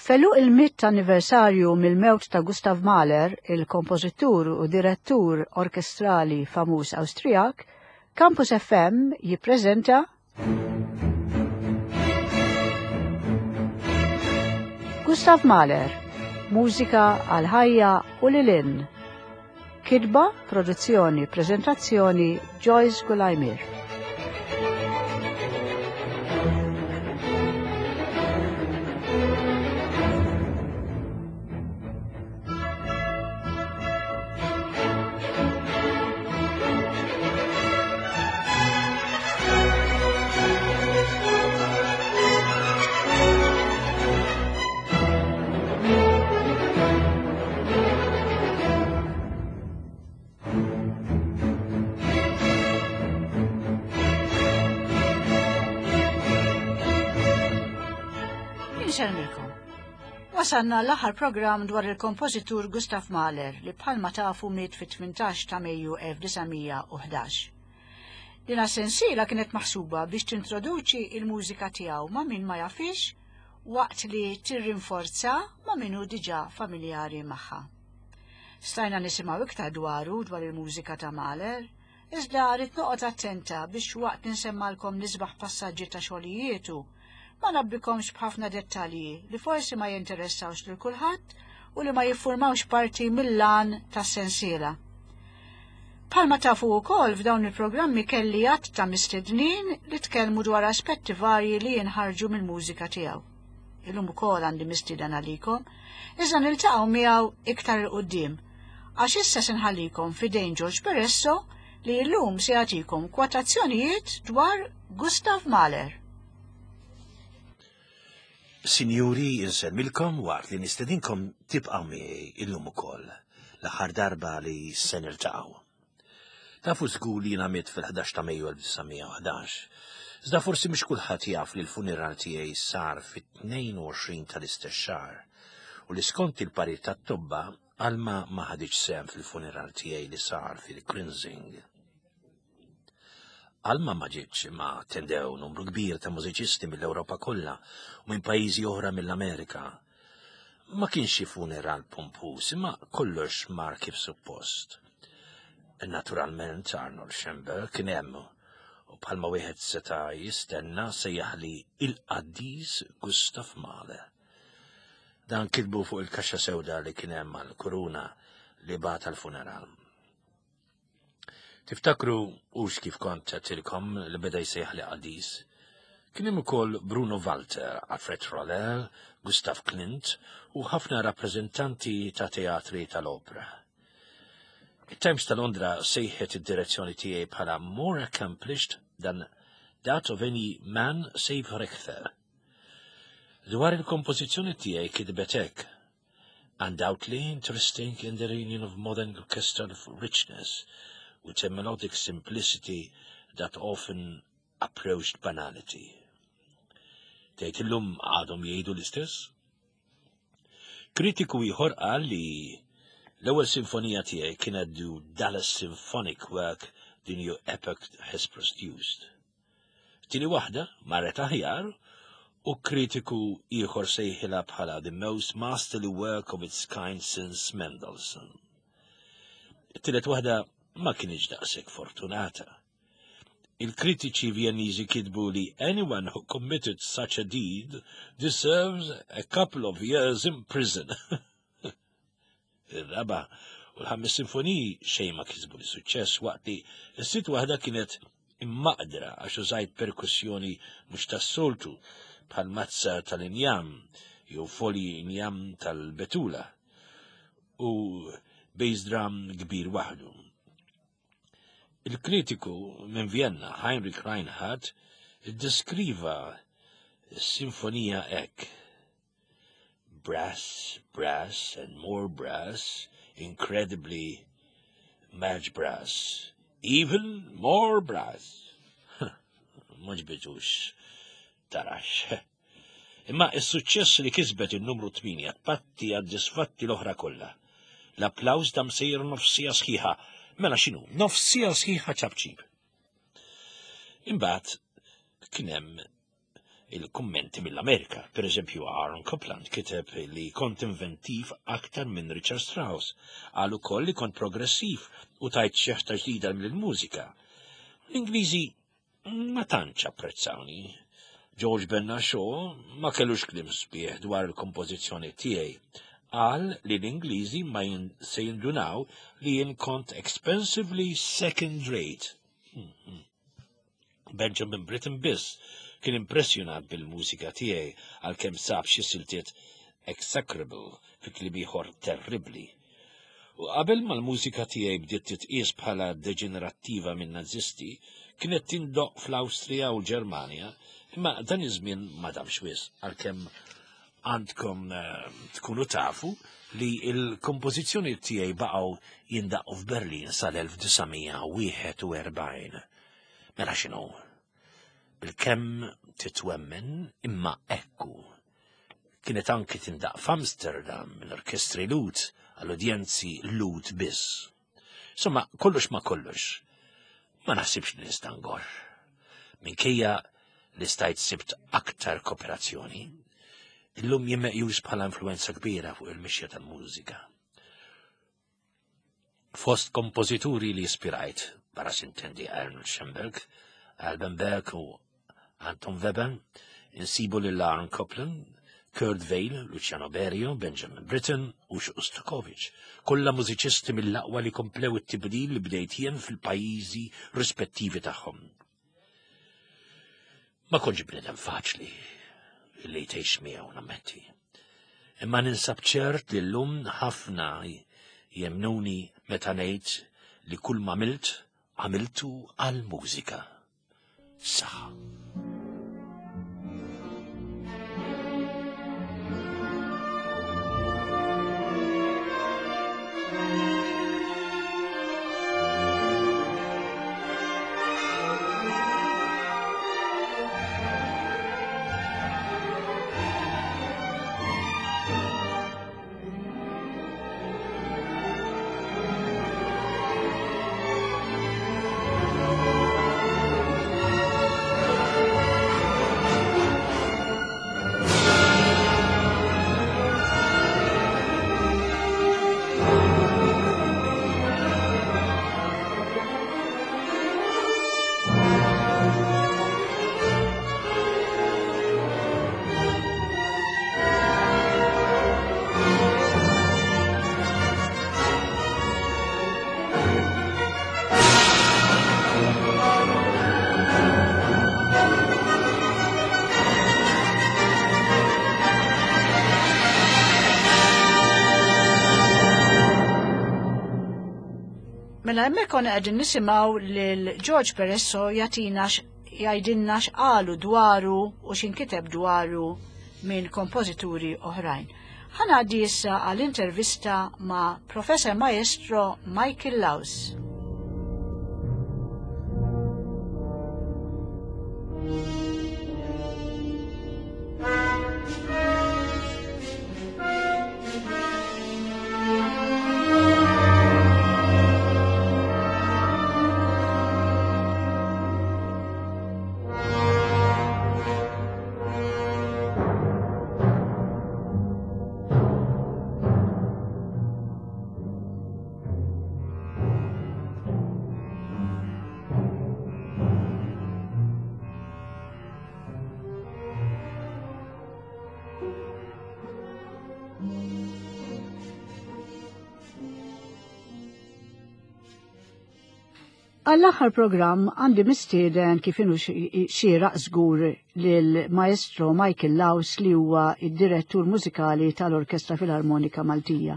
F'għeluq il-mitt anniversarju mill-mewt ta' Gustav Mahler, il-kompożitur u direttur orkestrali famuż Awstrijak, Campus FM jippreżenta Gustav Mahler, mużika għal ħajja u lil hinn. Kitba, produzzjoni, preżentazzjoni Joyce Gulajmir. Insellmilkom. Wasalna l-aħħar programm dwar il-kompożitur Gustav Mahler li bħalma tafu miet fit-18 ta' Mejju 1911. Din sensiela kienet maħsuba biex tintroduċi il-mużika tiegħu ma' min ma jafix waqt li tirrinforza ma' min hu diġà familjari magħha. Stajna nisimgħu iktar dwaru dwar il-mużika ta' Mahler, iżda rrid noqgħod attenta biex waqt li nsemmalkom l-isbaħ passaġġi ta' xogħlijietu, ma nabbikomx b'ħafna dettalji li forsi ma jinteressawx lil kulħadd u li ma jiffurmawx parti mill-għan tas-sensiela. Bħalma tafu wkoll f'dawn il-programmi kelli għadd ta' mistednin li tkellmu dwar aspetti varji li jinħarġu mill-mużika tiegħu. Illum ukoll għandi mistieden għalikom, iżda niltaqgħu miegħu iktar 'il quddiem. Għax issa se nħallikom f'idejn George Peresso li llum se jagħtikom kwotazzjonijiet dwar Gustav Mahler. Sinjuri, insellmilkom waqt li nistedinkom tibqgħu miegħi illum ukoll, l-aħħar darba li se niltaqgħu. Tafu żgur li jiena mitt fil-11 ta' Mejju 1911. Iżda forsi mhux kulħadd jaf li l-funeral tiegħi sar fit-22 tal-istess xahar u li skont il-parir tat-tobba Alma ma ħaditx sehem fil-funeral tiegħi li sar fil-Grinzing. Alma ma ġietx imma attendew numru kbir ta' mużiċisti mill-Ewropa kollha u minn pajjiżi oħra mill-Amerika. Ma kienx xi funeral pompuż imma kollox mar kif suppost. Naturalment Arnold Schoenberg kien hemm u bħalma wieħed seta' jistenna sejjaħli il-qaddis Gustav Mahler. Dan kitbu fuq il-kaxxa sewda li kien hemm għall-kuruna li bagħat għall-funeral. Tiftakru hux kif kont għedtilkom li beda jsejjaħli qaddis? Kien hemm ukoll Bruno Walter, Alfred Roller, Gustav Klint u ħafna rappreżentanti ta' teatri tal-opra. It-Times ta' Londra sejħet id-direzzjoni tiegħi bħala more accomplished than that of any man save Richter. Dwar il-kompożizzjoni tiegħi kitbet hekk, Undoubtedly interesting in the reunion of modern orchestral richness with a melodic simplicity that often approached banality. Tgħid illum għadhom jgħidu l-istess? Kritiku ieħor qal li l-ewwel sinfonija tiegħi kienet the dullest symphonic work the new epoch has produced. Tieni waħda marret aħjar u kritiku ieħor sejħilha bħala the most masterly work of its kind since Mendelssohn. It-tielet waħda ma kienx daqshekk fortunata. Il-kritiċi Vjenniżi kitbu li anyone who committed such a deed deserves a couple of years in prison. Ir-raba' u l-ħames sinfoniji xejn ma kisbu li suċċess waqt li s-sitt waħda kienet immaqdra għax użajt perkussjoni mhux tas-soltu bħal mazza tal-injam jew folji injam tal-betula u bass drum kbir waħdu. Il-kritiku minn Vienna, Heinrich Reinhardt, iddeskriva s-sinfonija hekk. Brass, brass and more brass, incredibly much brass, even more brass. Ma ġbitux tarax. Imma is-suċċess li kisbet in-numru 8 patti għad-disfatti l-oħra kollha. L-applaws dam sejjer nofsija sħiħa. Mela x'inhu? Nofsija sħiħa ċabċib. Imbagħad kien hemm. il-kummenti mill-Amerika. Per eżempju, Aaron Copland kiteb li kont inventiv aktar minn Richard Strauss. Qal ukoll li kont progressiv u tajt xeħta ġdida mill-mużika. L-Ingliżi ma tantx apprezzawni. George Bernard Shaw ma kellux kliem sbieħ dwar il-kompożizzjoni tiegħi. Qal li l-Ingliżi ma se jindunaw li jien kont expensively second rate. Hmm, hmm. Benjamin Britten biss kien impressjonat bil-mużika tiegħi għalkemm sab xi siltiet execrable fi kliem ieħor terribbli. U qabel ma l-mużika tiegħi bdiet titqies bħala deġenerattiva minn Nazisti, kienet tindoqq fl-Awstrija u l-Ġermanja, imma dan iż-żmien ma damx wisq għalkemm għandkom eh, tkunu tafu li l-kompożizzjoni tiegħi baqgħu jindaqqu f'Berlin sal-1941. Mela x'inhu? Bilkemm titwemmen imma ekku. Kienet anki tindaq f'Amsterdam minn orkestri Lut għall-udjenzi Lut biss. Insomma, kollox ma kollox. Ma naħsibx li nista' ngorr. Minkejja li stajt sibt aktar kooperazzjoni, illum jien meqjus bħala influenza kbira fuq il-mixja tal-mużika. Fost kompożituri li ispirajt, barra sintendi Arnold Schoenberg, Alban Berg u Anton Webern, insibu lil Aaron Copland, Kurt Weill, Luciano Berio, Benjamin Britten u Shostakovich, kollha mużiċisti mill-aqwa li komplew it-tibdil li bdejt jien fil-pajjiżi rispettivi tagħhom. Ma kontx bniedem faċli li tgħix miegħu nammetti. Imma ninsab ċert li llum ħafna jemnuni meta ngħid li kull ma għamilt għamiltu għall-mużika. Saħħa. Mela hemmhekk konna qegħdin nisimgħu lil George Peresso jagħtina jgħidilna x'qalu dwaru u x'inkiteb dwaru minn kompożituri oħrajn. Ħa ngħaddi issa għal intervista ma' Professor Maestro Michael Laus. Għall-aħħar programm għandi mistieden kif inhu xieraq żgur lil Maestro Michael Laus li huwa id-direttur mużikali tal-Orkestra Filarmonika Maltija.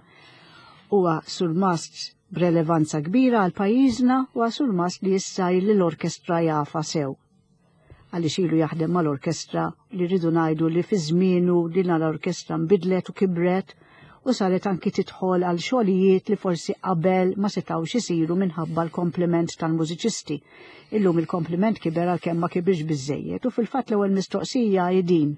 Huwa surmast b'relevanza kbira għal pajjiżna u surmast li issa l-orkestra jafa sew. Għaliex ilu jaħdem mal-orkestra li rridu ngħidu li fi żmienu din l-orkestra nbidlet u kibret u saret anki tidħol għal xogħlijiet li forsi qabel ma setgħux isiru minħabba l-komplement tal-mużiċisti. Illum il-komplement kiber għalkemm ma kibirx biżejjed u fil-fatt l-ewwel mistoqsija hi din.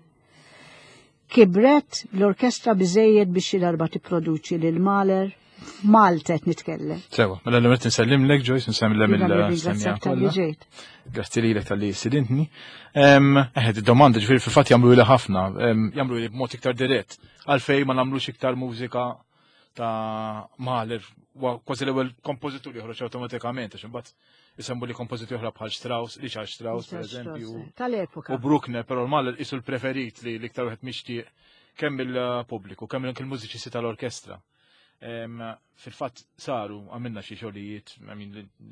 Kibret l-orkestra biżejjed biex xi darba tipproduċi lil Mahler? Malta qed nitkellem. Sewa, mela l-għet nsellimlek Joyce, nsellem il-semja kollha. Grazzi lilek tal-li sidintni. Eħed, id-domanda ġifieri fil-fatt jagħmlu li ħafna, jagħmlu li b'mod iktar dirett. Għalfej ma nagħmlux iktar mużika ta' Mahler, kważi l-ewwel kompożitur joħroġ awtomatikament, għax imbagħad isemmu li kompożitur oħra bħal Strauss, Richard Strauss, per eżempju. Tal-epoka. U Bruckner, però Mahler isu l-preferit li l-iktar wieħed mixtieq kemm il-pubbliku, kemm il-mużiċisti tal-orkestra. Fil-fatt saru għamilna xi xogħlijiet,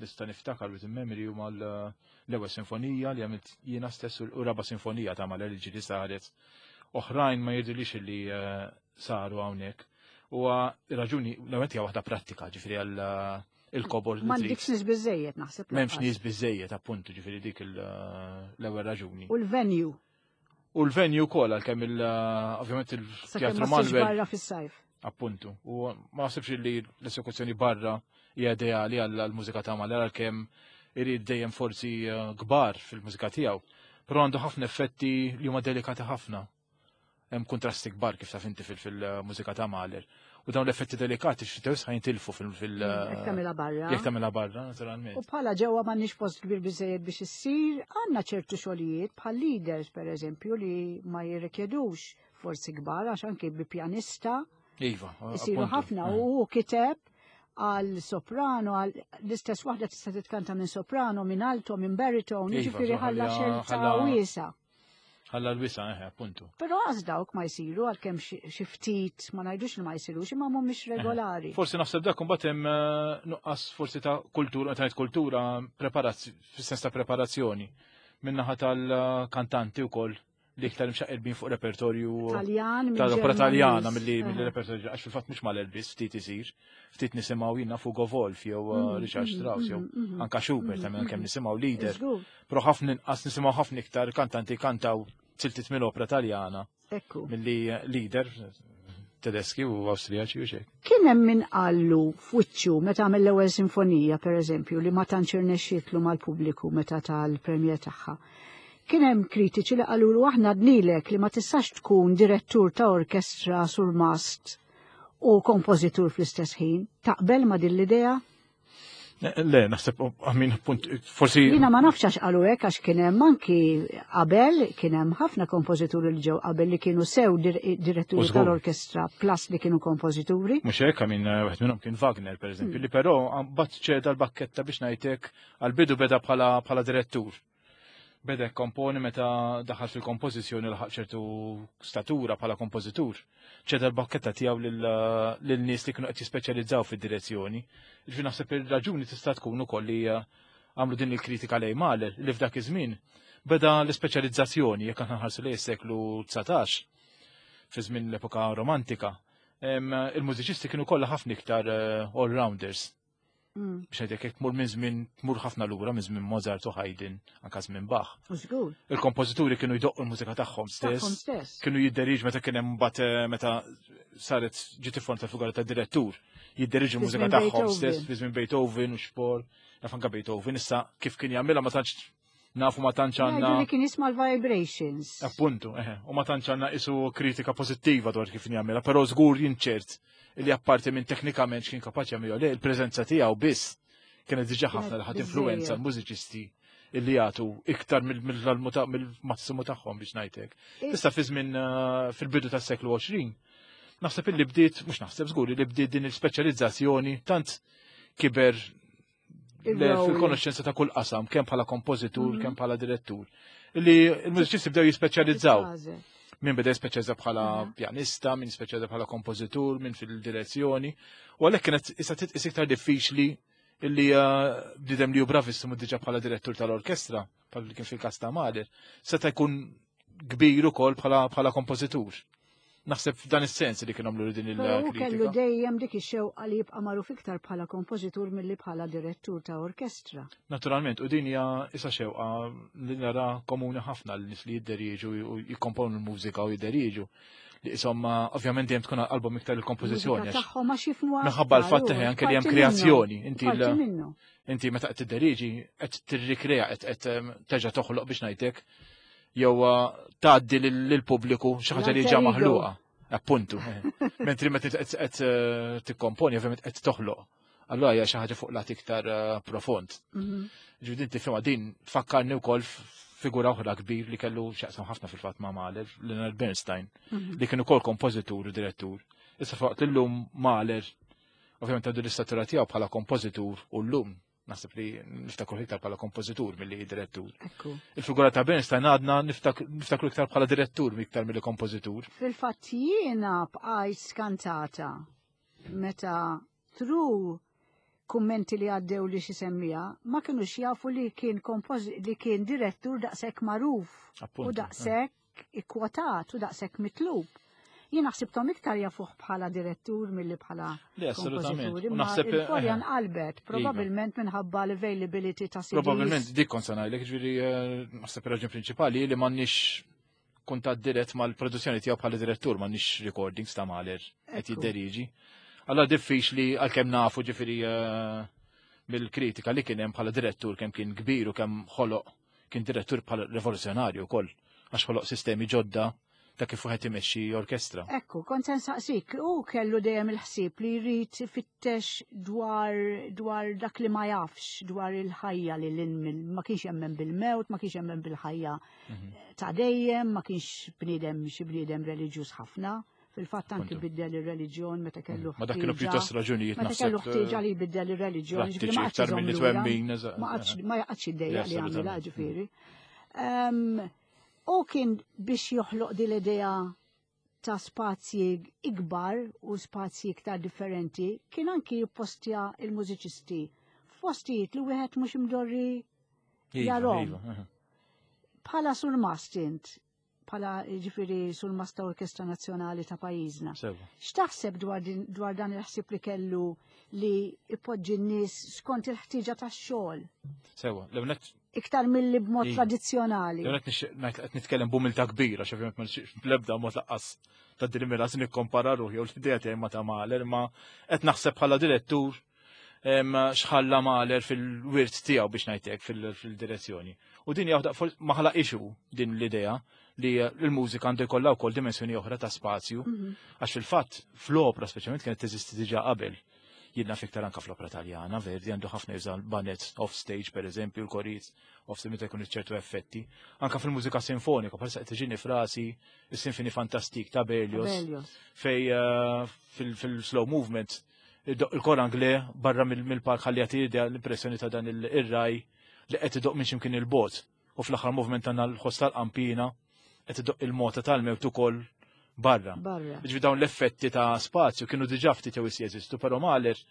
nista' niftakar with memory huma l-ewwel sinfonija li għamilt jiena stess u raba' sinfonija ta' Mahler li ġieli saret. Oħrajn ma jidhirlix li eh, saru hawnhekk. U raġuni l-għamet hija waħda prattika, ġifieri għal eh, il-kobor. M'għandikx nies biżejjed naħseb. M'hemmx nies biżejjed appuntu ġifieri dik eh, l-ewwel raġuni. U l-venue. U l-venue wkoll għalkemm il ovvjament il-Teatru Manuel. barra fis-sajf. Appuntu. U ma naħsibx li l-esekuzzjoni barra hija ideali għall-mużika ta' Mahler għalkemm irid dejjem forzi eh, kbar fil-mużika tiegħu. Però għandu ħafna effetti li huma delikati ħafna. Hemm kontrasti kbar kif taf inti fil-mużika ta' Mahler. U dawn l-effetti delikati xi tews ħajntilfu fil- Jekk tagħmilha barra. Jekk tagħmilha barra, naturalment. U bħala ġewwa m'għandniex post kbir biżejjed biex issir, għandna ċertu xogħlijiet bħal leaders pereżempju li ma jirrikjedux forsi kbar għax anke bi pjanista. Iva, Isiru ħafna u hu kiteb għal soprano, għal l-istess waħda tista' titkanta minn soprano, minn alto, minn baritone, Iva, jiġifieri ħalla xelta wiesa. Ħalla l-wisa, eħe, appuntu. Però għaz dawk ma jsiru għalkemm xi ftit ma ngħidux li ma jsirux imma mhumiex regolari. Forsi naħseb dak imbagħad hemm eh, nuqqas forsi ta' kultura, ta' kultura fis-sens ta' preparazzjoni min-naħa tal-kantanti wkoll li iktar imxaqilbin fuq repertorju Taljan, tal-opera Taljana milli repertorju għax fil-fatt mhux mal-Elvis ftit isir, ftit nisimgħu jiena Fugo Wolf jew eh, Richard Strauss jew anka Schubert ta' kemm nisimgħu leader. Però ħafna inqas nisimgħu ħafna iktar kantanti kantaw siltiet mill-opera Taljana. Ekku. Milli leader Tedeski u Awstrijaċi u xejn. Kien hemm min qallu f'wiċċu meta għamel l-ewwel sinfonija pereżempju li ma tantx irnexxietlu mal-pubbliku meta tal-premjer tagħha. Kien hemm kritiċi li qalulu aħna dnilek li ma tistax tkun direttur ta' orkestra surmast u kompożitur fl-istess ħin. Taqbel ma' din l-idea? Le, naħseb, għamin, punt, forsi. Jina ma nafx għax qalu hekk għax kien hemm anki qabel kien hemm ħafna kompożituri li ġew qabel li kienu sew diretturi tal-orkestra plus li kienu kompożituri. Mhux hekk, għamin, wieħed minnhom kien Wagner, pereżempju, mm. li però bat ċeda l-bakketta biex ngħidlek għal-bidu beda bħala direttur. Beda jkomponi meta daħal fil-kompożizzjoni laħaq ċertu statura bħala kompożitur. Ċeda l-bakketta tiegħu lil nies li kienu qed jispeċjalizzaw fid-direzzjoni. Ġifieri naħseb ir-raġuni tista' tkun ukoll li eh, għamlu din il-kritika lejn Mahler li f'dak iż-żmien beda l-ispeċjalizzazzjoni jekk aħna nħarsu lejn is-seklu 19 fi żmien l-epoka romantika. Il-mużiċisti kienu kollha ħafna iktar eh, all-rounders. Mm. Biex ngħidlek jekk tmur minn żmien tmur ħafna lura minn żmien Mozart u Haydn, anka żmien Bach. Żgur. Il-kompożituri kienu jdoqqu l-mużika tagħhom stess. Kienu jidderiġ meta kien hemm mbagħad eh, meta saret ġiet ifform ta' figura ta' direttur, jidderiġu l-mużika tagħhom stess fi żmien Beethoven u Spohr, naf anka Beethoven issa kif kien jagħmilha ma tantx nafu ma tantx għandna. Li kien jisma' l-vibrations. Appuntu, eħe, u ma tantx għandna isu kritika pożittiva dwar kif jagħmilha, però żgur jinċert li apparti minn teknikament x'kien kapaċi jagħmilha le il-preżenza tiegħu biss kienet diġà ħafna li ħadd influenza l-mużiċisti illi jagħtu iktar mill-massimu tagħhom biex ngħidlek. Issa fi żmien eh, fil-bidu tas-seklu 20, naħseb illi bdiet, mhux naħseb żgur li bdiet din il-speċjalizzazzjoni tant kiber fil-konoxxenza ta' kull qasam, kemm bħala kompożitur, mhm. kemm bħala direttur. Li l-mużiċisti bdew jispeċjalizzaw. Min beda jispeċjalizza bħala mhm. pjanista, min speċjalizza bħala kompożitur, min fil-direzzjoni. U għalhekk kienet issa titqis iktar diffiċli illi eh, bniedem li hu bravissimu diġà bħala direttur tal-orkestra, bħal kien fil-każ ta' Mahler, seta' jkun kbir ukoll bħala kompożitur. Naħseb f'dan is-sens li kienu għamlu din il-kritika. Kellu dejjem dik ix-xewqa li jibqa' magħruf iktar bħala kompożitur milli bħala direttur ta' orkestra. Naturalment, u din hija issa xewqa li nara komuni ħafna l nies li jidderieġu u jikkomponu l-mużika u jidderieġu. Li insomma, ovvjament dejjem tkun qalbhom iktar il-kompożizzjoni. Tagħhom għax jifhmu Minħabba l-fatt anke li hemm kreazzjoni. Inti Inti meta qed tidderiġi qed tirrikrea qed terġa' toħloq biex ngħidlek jew uh, tgħaddi lill-pubbliku xi ħaġa li ġa maħluqa. Appuntu. Eh. Mentri meta qed eh, tikkomponi ovvjament qed toħloq. Allura hija xi ħaġa fuq lat iktar eh, profond. Mhm. Ġifieri din tifhimha din tfakkarni wkoll figura oħra kbir li kellu x'jaqsam ħafna fil-fatt ma' Mahler, Leonard Bernstein, mhm. li kien ukoll kompożitur u direttur. Issa faqt illum Mahler, ovvjament għandu l-istatura tiegħu bħala kompożitur u llum naħseb li niftakru iktar bħala kompożitur milli direttur. Il-figura ta' Bernstein għadna niftakru iktar bħala direttur iktar milli kompożitur. Fil-fatt jiena bqajt skantata meta tru kummenti li għaddew li xi semmija ma kinux jafu li kien li kien direttur daqshekk magħruf u daqshekk ikkwotat u daqshekk mitlub. Jien naħsibthom iktar jafuh bħala direttur milli bħala kompożitur. Imma il-folja eh, nqalbet, iva. probabbilment minħabba l-availability ta' CDs. Probabbilment dik kont se ngħidlek, ġifieri eh, naħseb ir-raġun prinċipali li m'għandniex kuntatt dirett mal-produzzjoni tiegħu bħala direttur, m'għandniex recordings ta' Mahler qed jidderiġi. Allora diffiċli għalkemm nafu ġifieri eh, mill-kritika li kien hemm bħala direttur kemm kien kbir u kemm ħoloq Kien direttur bħala rivoluzzjonarju wkoll għax ħoloq sistemi ġodda ta' kif wieħed imexxi orkestra. Ekku, kont se nsaqsik, u kellu dejjem il-ħsieb li jrid ifittex dwar dwar dak li ma jafx, dwar il-ħajja li l ma kienx jemmen bil-mewt, ma kienx jemmen bil-ħajja mhm. ta' dejjem, ma kienx bniedem xi bniedem reliġjuż ħafna. Fil-fatt anki biddel ir-reliġjon meta kellu Ma dak kienu pjuttost raġunijiet Meta kellu ħtieġa li jbiddel ir-reliġjon, ġifieri ma iktar milli twemmin. Ma qatx ma jaqgħodx iddejjaq li għamilha ġifieri. U kien biex joħloq din l-idea ta' spazji ikbar u spazji iktar differenti, kien anki jippostja il-mużiċisti f'postijiet li wieħed mhux imdorri iva, jarhom. Iva, Bħala surmast int, bħala ġifiri sul-masta Orkestra Nazzjonali ta' pajjiżna. X'taħseb dwar, dwar dan il-ħsieb li kellu li ipoġġi n-nies skont il-ħtieġa tax-xogħol? Sewa, l-ewwel Iktar milli b'mod tradizzjonali. L-ewwel qed nitkellem b'umiltà kbira, xi ovvjament ma bl-ebda mod laqqas ta' din il-mira se nikkompara ruħi jew l-idea tiegħi ma ta' Mahler, ma qed naħseb bħala direttur xħalla Mahler fil-wirt tiegħu biex ngħidlek fil-direzzjoni. U din hija ma ħalaq ixu din l-idea li l-mużika għandu jkollha wkoll dimensjoni oħra ta' spazju, mhm. għax fil-fatt fl-opra speċjalment kienet teżisti diġà qabel. Jidna fiktar anka fl-opra taljana, Verdi għandu ħafna juża banet off stage per eżempju, l-koriz off stage meta jkun ċertu effetti. Anka fil-mużika sinfonika, bħalissa qed tiġini frasi is-Sinfoni Fantastik ta' Berlioz, fej eh, fil-slow movement il-kor Angle barra mill-park ħalli jagħti idea l-impressjoni ta' dan ir-raj li qed idoq minn x'imkien il-bot. U fl-aħħar movement għandna l-ħoss tal-qampina qed idoq il-mota tal-mewt ukoll barra. Ġifi dawn l-effetti ta' spazju kienu diġà ftit jew jeżistu, però Mahler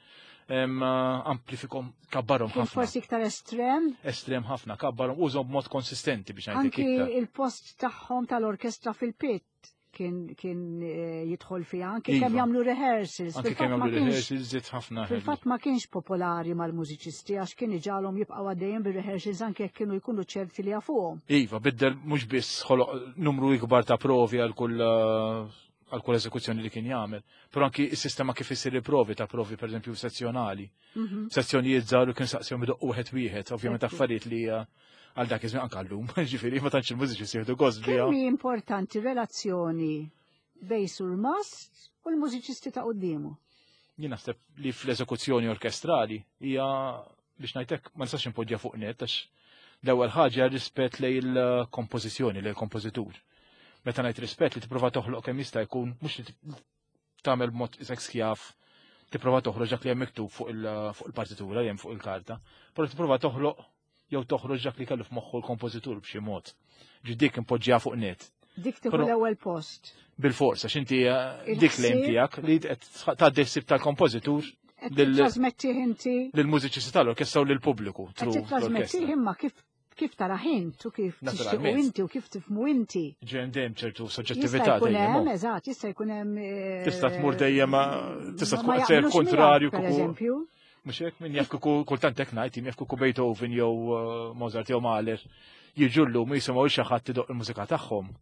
amplifikom kabbarhom ħafna. Forsi iktar estrem? Estrem ħafna, kabbarhom użhom b'mod konsistenti biex ngħidlek iktar. Anki il-post tagħhom tal-orkestra fil-pit kien kien eh, jidħol fiha anke kemm iva. jagħmlu rehearsals. Anke kemm jagħmlu rehearsals żied ħafna. Fil-fatt ma kienx popolari mal-mużiċisti għax kien iġalhom jibqgħu għaddejjin bir-rehearsals anke jekk kienu jkunu ċerti li jafuhom. Iva, biddel mhux biss ħoloq numru ikbar ta' provi għal kull eh, għal kull eżekuzzjoni li kien jagħmel, però anki s-sistema kif isir il-provi ta' provi pereżempju sezzjonali. Mhm. Sezzjonijiet żgħar u kien saqsihom idoqqu wieħed wieħed, ovvjament affarijiet li eh, għal dak iż-żmien anke llum, ġifieri ma tantx il-mużiċi jieħdu gost biha. Kemm hi importanti relazzjoni bej surmast u l-mużiċisti ta' quddiemu? Jien naħseb li fl-eżekuzzjoni orkestrali hija biex ngħidlek ma nistax impoġġja fuq net għax l-ewwel ħaġa rispett lej il-kompożizzjoni, lej il-kompożitur. Meta ngħid rispett li tipprova toħloq kemm jista' jkun mhux li tagħmel b'mod isek skjaf tipprova toħroġ dak li hemm miktub fuq il-partitura li hemm fuq il-karta, però tipprova toħloq jew toħroġ dak li kellu f'moħħu l-kompożitur b'xi mod. Ġi dik impoġġiha fuq net. Dik tieħu l-ewwel post. Bil-fors, għax inti eh, dik lejn tiegħek li qed tgħaddi ħsieb tal-kompożitur Trasmettih inti. Lill-mużiċisti tal-orkestra u lill-pubbliku. Trasmettih imma kif kif tara int u kif tixtiequ inti u kif tifmu inti. Ġejjem dejjem ċertu soġġettività dejjem. Hemm, eżatt, jista' jkun hemm. Eh, tista' tmur dejjem tista' tkun qed kontrarju kieku. Eżempju. Mhux hekk min jaf kieku kultant hekk ngħid, jaf kieku Beethoven jew eh, Mozart jew Mahler jiġu llum jisimgħu xi ħadd idoq il-mużika tagħhom.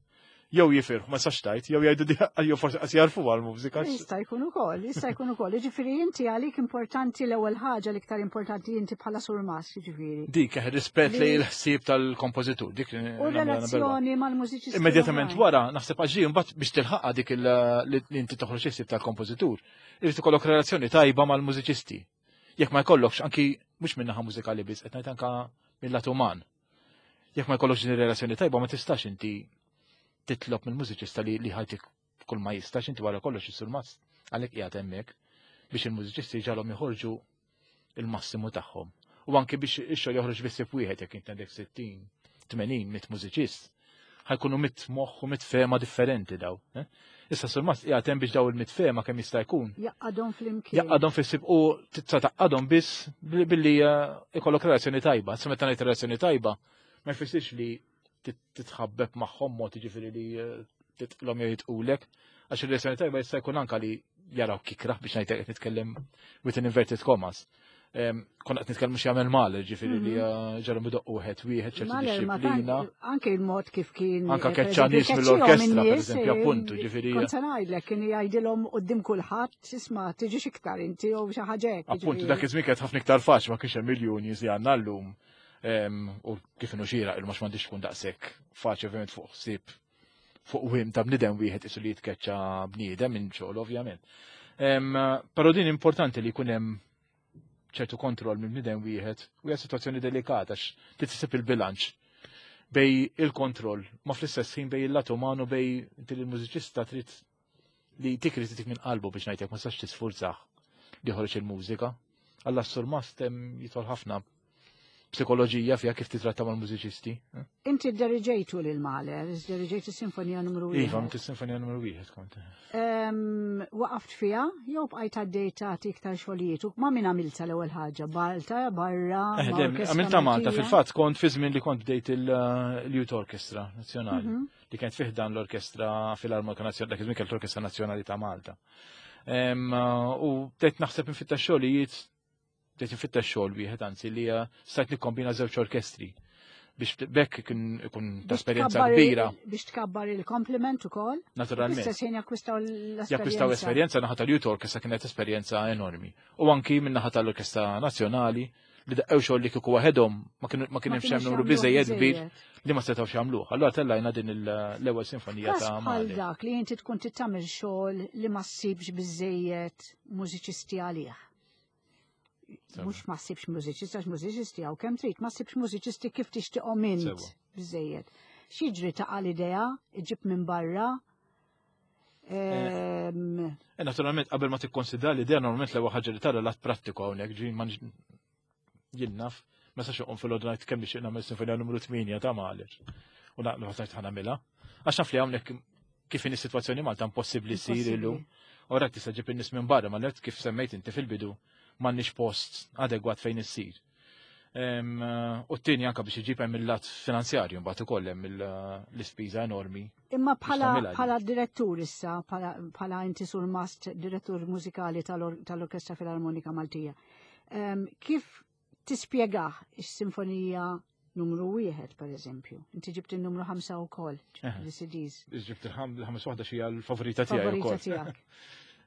Jew jifirħu, ma sax tajt, jew jgħidu di jew forsi qas jarfu għal-mużika. Jista' jkun ukoll, jista' jkun ukoll. Jiġifieri inti għalik importanti l-ewwel ħaġa l-iktar importanti inti bħala surmas, jiġifieri. Dik eh, rispett li l-ħsieb tal-kompożitur, dik U relazzjoni mal-mużiċisti. Immedjatament wara, naħseb għax mbagħad biex tilħaqha dik li inti toħroġ il-ħsieb tal-kompożitur, irid ikollok relazzjoni tajba mal-mużiċisti. Jekk ma jkollokx anki mhux min-naħa mużikali biss, qed ngħid anka mill-lat uman. Jekk ma jkollokx din ir-relazzjoni tajba ma tistax inti titlob mill-mużiċista li li ħajtik kull ma jistax inti wara kollox is-surmast għalhekk qiegħed hemmhekk biex il-mużiċisti ġalhom joħorġu il-massimu tagħhom. U anke biex ix-xogħol joħroġ biss wieħed jekk inti għandek 60, 80, 100 mużiċist, ħajkunu mit moħħ u mit fema differenti daw. Eh? Issa surmast qiegħed hemm biex daw il-mit fema kemm jista' jkun. Jaqqadhom flimkien. Jaqqadhom fis-sib u tista' taqqadhom biss billi eh, ikollok relazzjoni tajba. Sa meta ngħid relazzjoni tajba, ma jfissirx li titħabbeb magħhom mod jiġifieri li eh, titqlhom jew jitqulek, għax ir-relazzjoni tajba jista' jkun anka li jaraw kikrah biex ngħid qed nitkellem with an inverted commas. Konna qed nitkellmu xi jagħmel mal, ġifieri li mhm. eh, ġarhom idoqqu wieħed wieħed ċertu disċiplina. Anke il-mod kif kien. Anka eh, keċċa nies mill-orkestra, pereżempju, appuntu, ġifieri. Kont se ngħidlek kien jgħidilhom quddiem kulħadd, isma' tiġix iktar inti jew xi ħaġa hekk. Appuntu dak iż-żmien kienet ħafna iktar faċli ma kienx hemm miljuni li għandna llum. U kif inhu xieraq il mhux m'għandix tkun daqshekk faċli ovvjament fuq ħsieb fuq wim ta' bniedem wieħed isu li jitkeċċa bniedem minn xogħol ovvjament. Però din importanti li jkun hemm ċertu kontroll minn bniedem wieħed u hija sitwazzjoni delikata għax titsib il-bilanċ bej il-kontroll ma fl-istess ħin bej il-lat umanu bej inti l-mużiċista trid li tikri tik minn qalbu biex ngħidlek ma sax tisfurzah li joħroġ il-mużika. Alla s-surmast jidħol ħafna psikoloġija fiha kif titratta mal-mużiċisti. Eh? Inti deriġejtu lil Mahler, deriġejtu sinfonija numru 1. Iva, inti sinfonija numru 1 kont. Waqaft fiha jew bqajt għaddej tagħti iktar xogħlijiet u ma' min għamilta l-ewwel ħaġa, Balta, barra. Eh, għamilta Malta, fil-fatt kont fi żmien li kont bdejt il-Youth Orchestra Nazzjonali. Mhm. Li kienet fih dan l-Orkestra Filarmonika Nazzjonali, dak iż-żmien l-Orkestra Nazzjonali ta' Malta. U bdejt naħseb infitta xogħlijiet bdejt infittex xogħol wieħed anzi li eh, stajt nikkombina żewġ orkestri biex bekk ikun ikun ta' esperjenza kbira. Biex tkabbar il-kompliment ukoll. Naturalment. Istess ħin jakkwistaw l-esperjenza. Jakkwistaw esperjenza naħa tal-Youth Orchestra kienet esperjenza enormi. U anki minn naħa tal-Orkestra Nazzjonali li daqqew xogħol li kieku waħedhom ma kien hemm xi numru biżejjed kbir li ma setgħux jagħmluh. Allura tellajna din l-ewwel sinfonija ta' Bħal dak li inti tkun tittamil xogħol li ma ssibx biżejjed mużiċisti għalih. Mhux ma ssibx mużiċisti għax mużiċisti hawn kemm trid, ma ssibx mużiċisti kif tixtieqhom int biżejjed. X'jiġri taqa' l-idea, iġib minn barra. Eh, eh, naturalment, qabel ma tikkonsidra l-idea, normalment l-ewwel ħaġa li tara l-att prattiku hawnhekk, ġi ma jien naf, ma sax iqum fil-għodu ngħid kemm nixtieq nagħmel sinfonija numru 8 ta' Mahler. U naqlu ħadd ħanamilha. Għax naf li hawnhekk kif in is-sitwazzjoni Malta impossibbli ssir illum. Ora tista' ġib in-nies minn barra, ma lert kif semmejt inti fil-bidu m'għandniex post adegwat fejn issir. U t-tieni anka biex iġib hemm il-lat finanzjarju mbagħad ukoll hemm l-ispiża enormi. Imma bħala direttur issa, bħala inti surmast direttur mużikali tal-Orkestra Filarmonika Maltija, kif tispjegah is-sinfonija numru wieħed per eżempju. Inti ġibt il-numru ħamsa u kol, l-CDs. Ġibt il-ħames waħda xija l-favorita tiegħi ukoll. Tiegħek.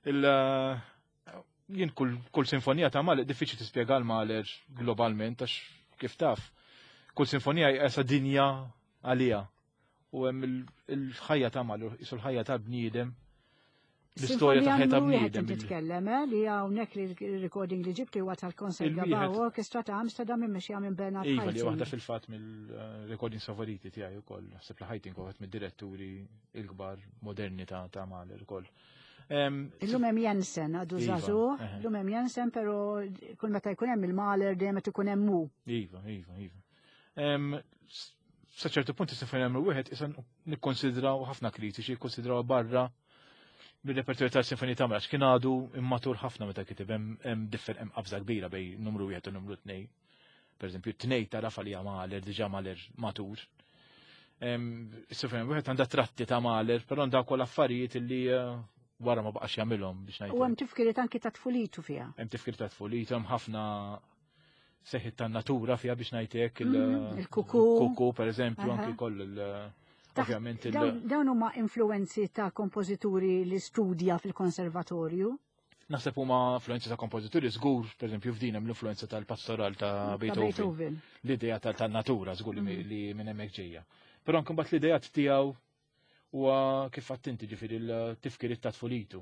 Eh, jien kull sinfonija ta' Mahler diffiċli tispjega l-Mahler globalment għax kif taf. Kull sinfonija jqesa dinja għalija. U hemm il-ħajja ta' Mahler, jisu l-ħajja ta' bniedem l-istorja ta' ħajja ta' bniedem. Titkellem, eh, li hawnhekk li recording li ġibti huwa tal-Concert Gabao Orchestra ta' Amsterdam immexxija minn Bernard Iva, li waħda fil-fatt mill-recording favoriti tiegħi wkoll. Naħseb li Haitink waħed mid-diretturi il-kbar moderni ta' ta' Mahler ukoll. Illum hemm Jensen għadu iva, żagħżugħ, illum hemm Jensen però kull meta jkun hemm il-Mahler dejjem qed ikun hemm hu. Iva, iva, iva. Sa ċertu punt is-sinfonija numru wieħed issa nikkonsidraw ħafna kritiċi jikkonsidraw barra bil-repertorju tal-sinfonija ta' għax kien għadu immatur ħafna meta kiteb hemm differ hemm qabża kbira bej numru wieħed u numru tnej. Per eżempju, tnej tarafa li Mahler diġà Mahler matur. Is-sinfonija wieħed għandha tratti ta' Mahler, però għandha wkoll affarijiet li eh, wara ma baqax jagħmilhom biex ngħid. U hemm tifkiriet anki ta' tfulitu fiha. Hemm tifkiriet ta' tfulitu, hemm ħafna seħħit tan-natura fiha biex ngħid hekk il-kuku. Kuku pereżempju anki koll il- Ovvjament il- Dawn huma influenzi ta' kompożituri li studja fil-konservatorju. Naħseb huma influenzi ta' kompożituri żgur, pereżempju f'din hemm l-influenza tal-pastoral ta' Beethoven. L-idea tal-natura żgur li mm. li minn hemmhekk ġejja. Però anke mbagħad l-idea tiegħu huwa kif għattinti ġifieri l-tifkiriet ta' tfulitu.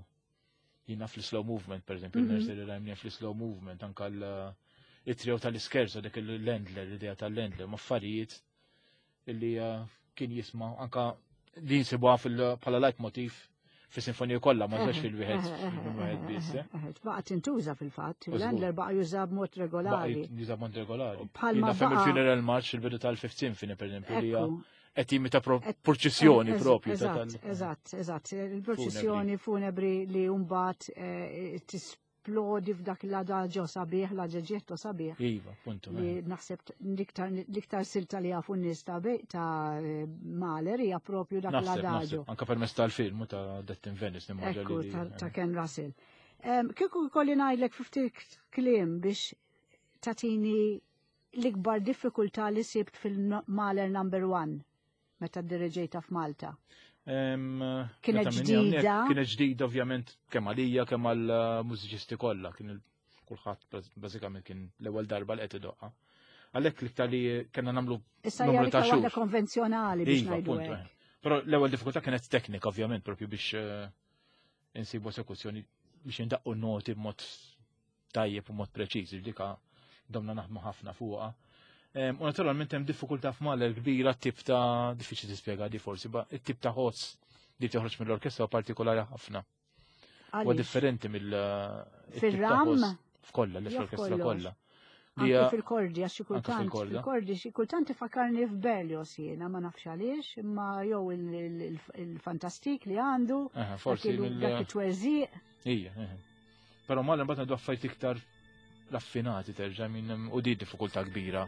Jiena fl-slow movement, pereżempju, mm -hmm. nursery rhyme fl-slow movement, anke l-trio tal-iskerza dik il-Lendler, l-idea tal-Lendler, ma' affarijiet illi eh, kien jisma' anka li jinsibuha bħala leitmotiv fis-sinfonija kollha ma żewġ fil-wieħed wieħed biss. Eh. Baqa' tintuża fil-fatt, l-Endler baqa' juża b'mod regolari. Juża b'mod regolari. Bħalma fil-funeral march il-bidu tal-Fifth Symphony pereżempju li qed jimita purċissjoni propju. Eżatt, eżatt, eżatt. Il-purċissjoni funebri li mbagħad eh, tisplodi f'dak l-adagio sabiħ, l-adaġetto sabiħ. Iva, puntu. Li eh. naħseb l-iktar silta li jafu n-nies ta' ta' Mahler hija propju dak l-adagio. Anka permezz tal-film ta' Death in Venice nimmaġina. Ekku, ta' Ken Russell. Kieku kolli ngħidlek ftit kliem biex tatini l-ikbar diffikultà li sibt fil-Mahler number one meta diriġejta f'Malta? Kienet ġdida. Kienet ġdida ovvjament kemm għalija kemm għall-mużiċisti kollha, kien kulħadd bażikament kien l-ewwel darba li qed idoqqa. Għalhekk l-iktar li kellna nagħmlu Issa hija l-iktar waħda konvenzjonali biex iva, ngħidu. Eh. Però l-ewwel diffikultà kienet teknika ovvjament propju biex eh, insibu esekuzzjoni biex indaqqu noti b'mod tajjeb u mod preċiż, dika domna naħdmu ħafna fuqha. U naturalment hemm diffikultà f'Mahler kbira tip ta' diffiċli tispjega di forsi, ba it-tip ta' ħoss li toħroġ mill-orkestra partikolari ħafna. Huwa differenti mill Fir-ram? F'kollha, li fl-orkestra kollha. Anke fil-kordi, għax xi kultant, fil-kordi, xi kultant ifakarni f'Berlioz jiena, ma nafx għaliex, imma jew il-fantastik li għandu, forsi dak it-twerżiq. Ija, Però mal imbagħad ngħidu affarijiet iktar raffinati terġa' minn u di diffikultà kbira.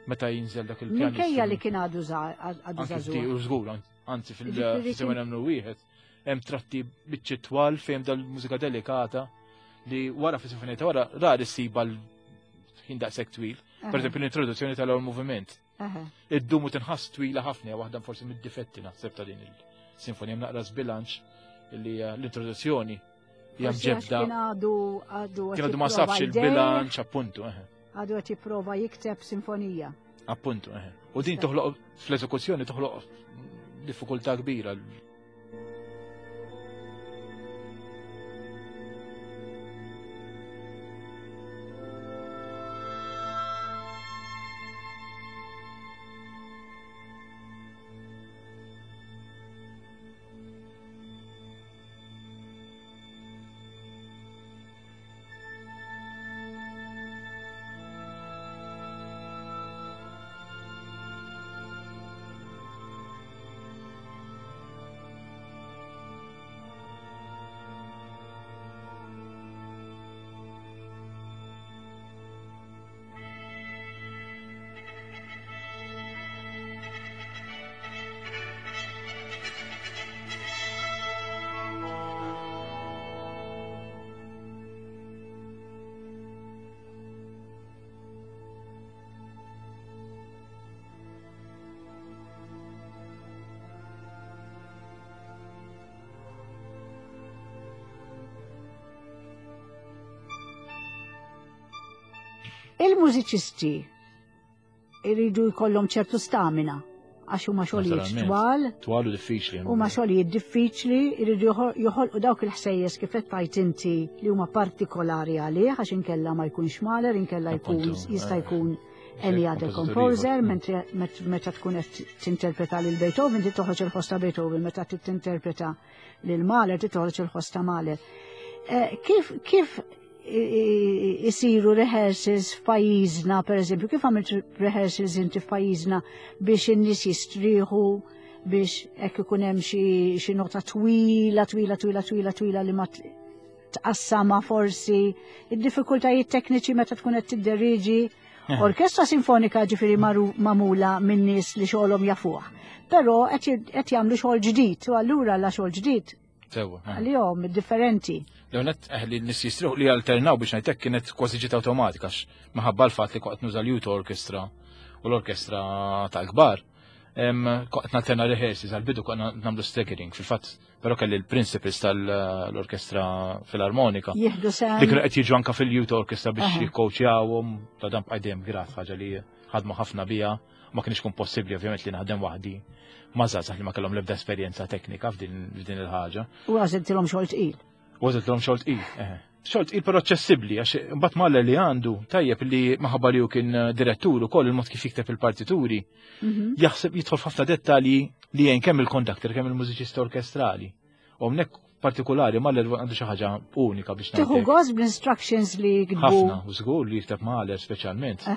Meta jinżel dak il-pjan. Minkejja li kien għadu għadu żagħżugħ. U żgur, anzi fil-semana nagħmlu wieħed, hemm tratti biċċi twal fejn dal-mużika delikata li wara fis-sinfonija ta' wara rari ssiba l-ħin daqshekk twil. Per eżempju l-introduzzjoni tal-ewwel moviment. Id-dumu tinħass twila ħafna waħda forsi mid-difetti naħseb ta' din il-sinfonija naqra żbilanċ li eh, l-introduzzjoni hija mġebda. Kien għadu għadu Kien għadu ma safx il-bilanċ appuntu. Għadu qed jipprova jikteb sinfonija. Appuntu, U din toħloq fl-eżekuzzjoni toħloq diffikultà kbira. Il-mużiċisti iridu jkollhom ċertu stamina għax huma xogħlijiet twal. Twal u diffiċli. Huma xogħlijiet diffiċli, iridu joħolqu dawk il-ħsejjes kif qed tgħid inti li huma partikolari għalih għax inkella ma jkunx maler, inkella jkun jista' eh. jkun any other composer, mentri meta tkun qed tinterpreta lil Beethoven ti toħroġ il-ħoss ta' Beethoven, meta tinterpreta lil Mahler ti toħroġ il-ħoss ta' Mahler. Eh, kif kif isiru rehearsals f'pajjiżna, per eżempju, kif għamilt rehearsals inti f'pajjiżna biex in-nies jistrieħu biex hekk ikun hemm xi nota twila, twila, twila, twila, twila li ma tqassama forsi id-diffikultajiet tekniċi meta tkun qed tidderiġi. Eh. Orkestra sinfonika ġifieri magħmula minn nies li xogħolhom jafuh. Però qed jagħmlu xogħol ġdid u allura la xogħol ġdid Sewa. Eh. Għalihom differenti. L-għonet eh, li nis jistriħu li alternaw biex ngħidlek kienet kważi ġiet awtomatika minħabba l-fatt li kwaqt nuża l-Youth Orchestra u l-orkestra tal-kbar. Qed nalterna rehearsals għal-bidu konna nagħmlu staggering fil-fatt, però kelli l-principals tal-orkestra filarmonika. Jieħdu sehem. Li kienu qed jiġu anka fil-youth orchestra biex jikkoċjawhom ta' dan bqaj dejjem grat ħaġa li ħadmu ħafna bija, ma kienx kun possibbli ovvjament li naħdem waħdi ma' żgħażagħ li ma kellhom l-ebda esperjenza teknika f'din il-ħaġa. U għażiltilhom xogħol tqil. U għażiltilhom xogħol tqil, eħe. Xogħol tqil però aċċessibbli għax imbagħad Mahler li għandu tajjeb li maħabba li hu kien eh, direttur ukoll il-mod kif jikteb il-partituri. Mhm. Jaħseb jidħol f'ħafna dettalji li jgħin kemm il-kondakter kemm il-mużiċista orkestrali. U hawnhekk partikolari Mahler għandu xi ħaġa unika biex Tieħu gost bl-instructions li jiktbu. Ħafna, u żgur li jikteb Mahler speċjalment.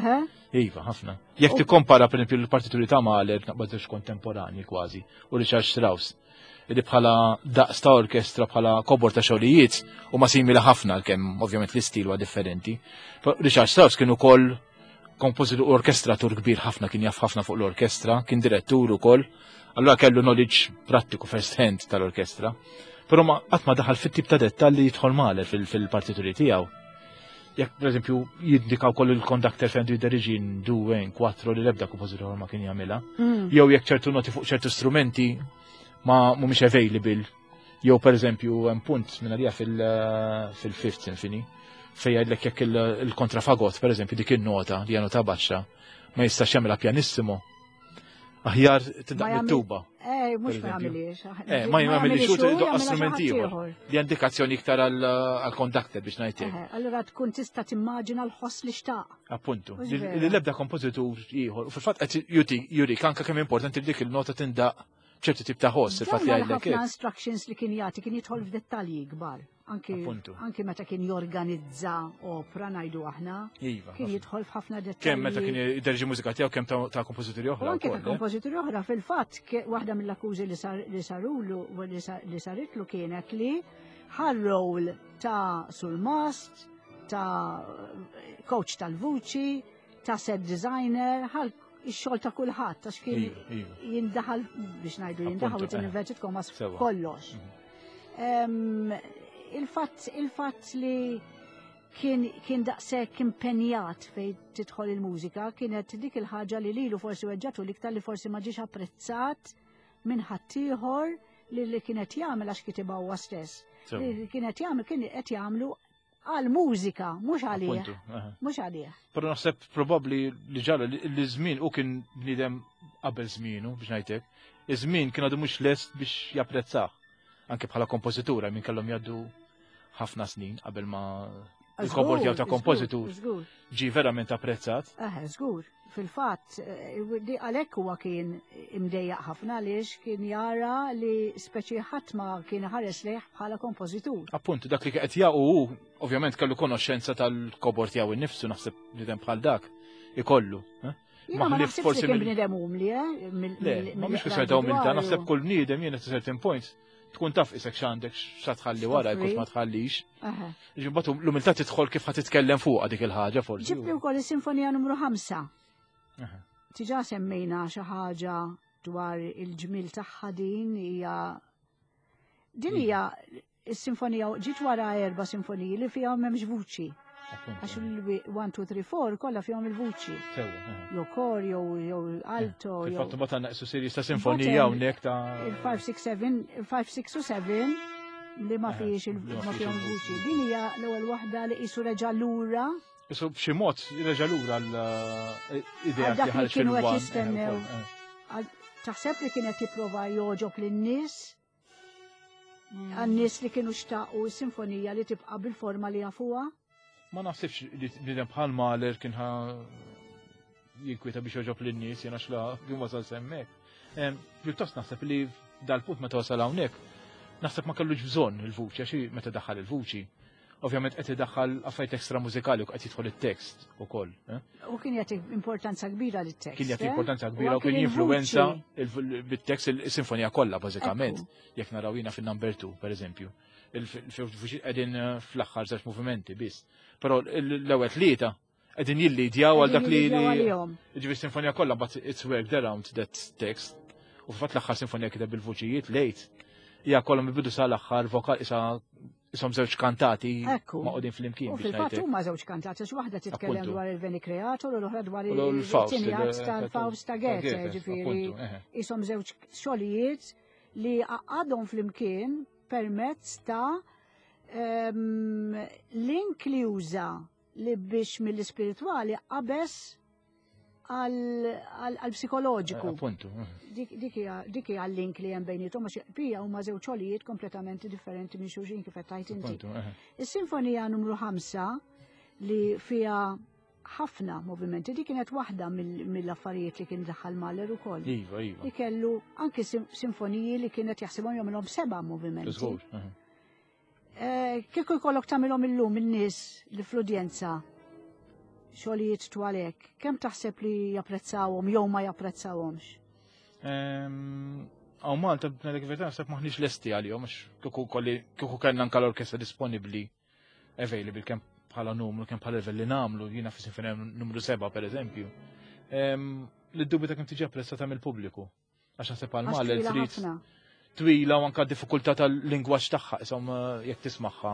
Iva, ħafna. Jekk tikkompara pereżempju l-partituri ta' Mahler naqbad kontemporani kważi u Richard Strauss li bħala daqs ta' orkestra bħala kobor ta' xogħlijiet huma simili ħafna għalkemm ovvjament l-istil huwa differenti. Richard Strauss kien ukoll kompożitur u orkestratur kbir ħafna kien jaf ħafna fuq l-orkestra, kien direttur ukoll, allura kellu knowledge prattiku first hand tal-orkestra. Però ma qatt ma daħal fit-tip ta' dettalji jidħol Mahler fil-partituri tiegħu. Jekk pereżempju jindikaw koll il-conductor fejn jideriġi due, quattro li l-ebda kompożitur ma kien jagħmilha. Jew jekk ċertu noti fuq ċertu strumenti ma mhumiex available. Jew pereżempju hemm punt minn għalija fil-Fifth Symphony fejn jgħidlek jekk il-kontrafagot pereżempju dik in-nota li hija nota baxxa ma jistax jagħmilha pianissimo. Aħjar tindaq mit-tuba. Eh, mhux ma jagħmilix. Eh, ma jagħmilix u doqqa strument ieħor. Li indikazzjoni iktar għall-conductor biex ngħidlek. Eh, allura tkun tista' timmaġina l-ħoss li xtaq. Appuntu. Li l-ebda kompożitur ieħor. U fil-fatt qed jurik anke kemm importanti dik il-nota tindaq ċertu tip ta' ħoss il-fatt li għajlek. Ħafna instructions li kien jagħti kien jidħol f'dettalji kbar. Anki, anki meta kien jorganizza opra ngħidu aħna. Iva, kien jidħol f'ħafna dettalji. Kemm meta kien jderġi mużika tiegħu kemm ta' kompożituri oħra. Anke ta' eh? kompożituri oħra fil-fatt waħda mill-akkużi li sarulu li saritlu kienet li ħar-rol ta' sulmast, ta' coach tal-vuċi, ta' set designer, ħal ix-xogħol ta' kulħadd għax kien iva, iva. jindaħal biex ngħidu jindaħal u inverted commas kollox. Mhm. Il-fatt il-fatt li kien kien daqshekk impenjat fejn tidħol il-mużika kienet dik il-ħaġa li lilu forsi weġġatu l-iktar li forsi ma ġiex apprezzat minn ħaddieħor li li kienet jagħmel għax kitibha huwa stess. Li kienet jagħmel kien qed jagħmlu għal mużika, mhux għalih. Mhux għalih. Però naħseb probabbli li ġara li żmien u kien bniedem qabel żmienu biex ngħidlek. Iż-żmien kien għadu mhux lest biex japprezzah. Anke bħala kompożitura minn kellhom jgħaddu ħafna snin qabel ma il-kobor tiegħu ta' kompożitur ġi verament apprezzat. Eħe, żgur. Fil-fatt, eh, għalhekk huwa kien imdejjaq ħafna għaliex kien jara li speċi ħadd ma kien ħares lejh bħala kompożitur. Appuntu, dak li qed jaqu hu ovvjament kellu konoxxenza tal-kobor tiegħu innifsu naħseb bniedem bħal dak ikollu. Eh? Ma naħsibx forsi kien bniedem umli, eh? Le, ma mhux kwistjoni ta' umiltà, naħseb kull bniedem jiena certain points tkun taf isek x'għandek xa tħalli wara jkun ma tħallix. Ġimbagħad l-umiltà tidħol kif ħa titkellem fuqha dik il-ħaġa forsi. Ġibli wkoll is-sinfonija numru 5. Tiġa semmejna xi ħaġa dwar il-ġmil tagħha din hija din hija Is-sinfonija ġiet wara erba' sinfoniji li fihom m'hemmx vuċi. Għax il-1, 2, 3, 4 kollha fihom il-vuċi. Jew kor, jew jew alto. Fil-fatt mbagħad għandna qisu serji ta' sinfonija hawnhekk ta' Il-5, 6, 7, il-5, 6 u 7 li ma fihiex ma fihom vuċi. Din hija l-ewwel waħda li qisu reġa' lura. Qisu b'xi mod reġa' lura l-idea li ħareġ kienu qed jistennew. Taħseb li kienet jipprova jogħġob lin-nies? Għan-nies li kienu xtaqu s-sinfonija li tibqa' bil-forma li jafuha? Ma naħsibx li bniedem bħal Mahler kien ħa jinkwieta biex joġob lin-nies jiena xla kien wasal semmek. Pjuttost naħseb li dal-punt meta wasal hawnhekk, naħseb ma kellux bżonn il-vuċi għax meta daħal il-vuċi Ovvjament qed idaħħal affarijiet ekstra mużikali u qed jidħol it-tekst ukoll. Eh? U kien jagħti importanza kbira lit-tekst. Kien jagħti eh? importanza kbira u kien jinfluwenza bit-tekst il-sinfonija kollha bażikament. Jekk naraw jiena fin-number 2 pereżempju. Il-vuċi qegħdin eh, fl-aħħar żewġ movimenti biss. Però l-ewwel tlieta qegħdin jillidjaw għal dak li ġifi sinfonija kollha but it's worked around that text. U fil-fatt l-aħħar sinfonija kiteb bil-vuċijiet lejt. Hija kollha mill-bidu sal-aħħar vokal isa. Isom żewġ kantati maqgħudin flimkien. U fil-fatt huma żewġ kantati, għax waħda titkellem dwar il-Veni Creator u l-oħra dwar il-Faust tal-Faust ta' Goethe, ġifieri isom żewġ xogħlijiet li għadhom flimkien permezz ta' ehm, link li juża li biex mill-ispiritwali qabeż għal-psikoloġiku. Eh, appuntu. Dik hija l-link li hemm bejnietom għax bija huma żewġ xogħlijiet kompletament differenti minn xulxin kif qed tgħid inti. Is-sinfonija numru 5 li fiha ħafna movimenti, di kienet waħda mill-affarijiet li kien daħħal Mahler ukoll. Iva, iva. Li kellu anki sinfoniji li kienet jaħsibhom jagħmilhom seba' movimenti. Eh, kieku jkollok tagħmilhom illum in-nies li fl-udjenza xogħlijiet twalek, kemm taħseb li japprezzawhom jew ma japprezzawhomx? Ehm, għaw Malta b'nedek verità naħseb maħniex lesti għalihom għax kieku kolli kieku kellna anke l-orkestra disponibbli available kemm bħala numru, kemm bħala level li nagħmlu, jiena fi sinfonija numru 7 pereżempju. Ehm, li d-dubju ta' kemm tiġi apprezzata mill-pubbliku. Għax naħseb għal Mahler trid twila u anka diffikultà tal-lingwaġġ tagħha, isom eh, jekk tismagħha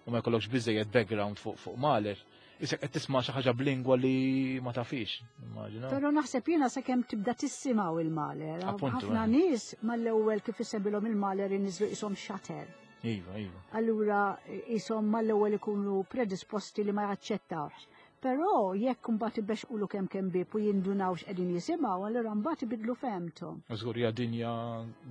u ma jkollokx biżejjed background fuq fuq Mahler, isek qed tisma' xi ħaġa b'lingwa li ma tafix, immaġina. Però naħseb jiena sakemm tibda tissimgħu il-Mahler. Ħafna eh. nies mal-ewwel kif isembilhom il-Mahler inniżlu ishom xater. Iva, iva. Allura ishom mal-ewwel ikunu predisposti li ma jaċċettawx. Però jekk imbagħad ibexqulu kemm kemm bieb u jindunaw x'qegħdin jisimgħu, allura mbagħad ibiddlu fehmthom. Żgur hija dinja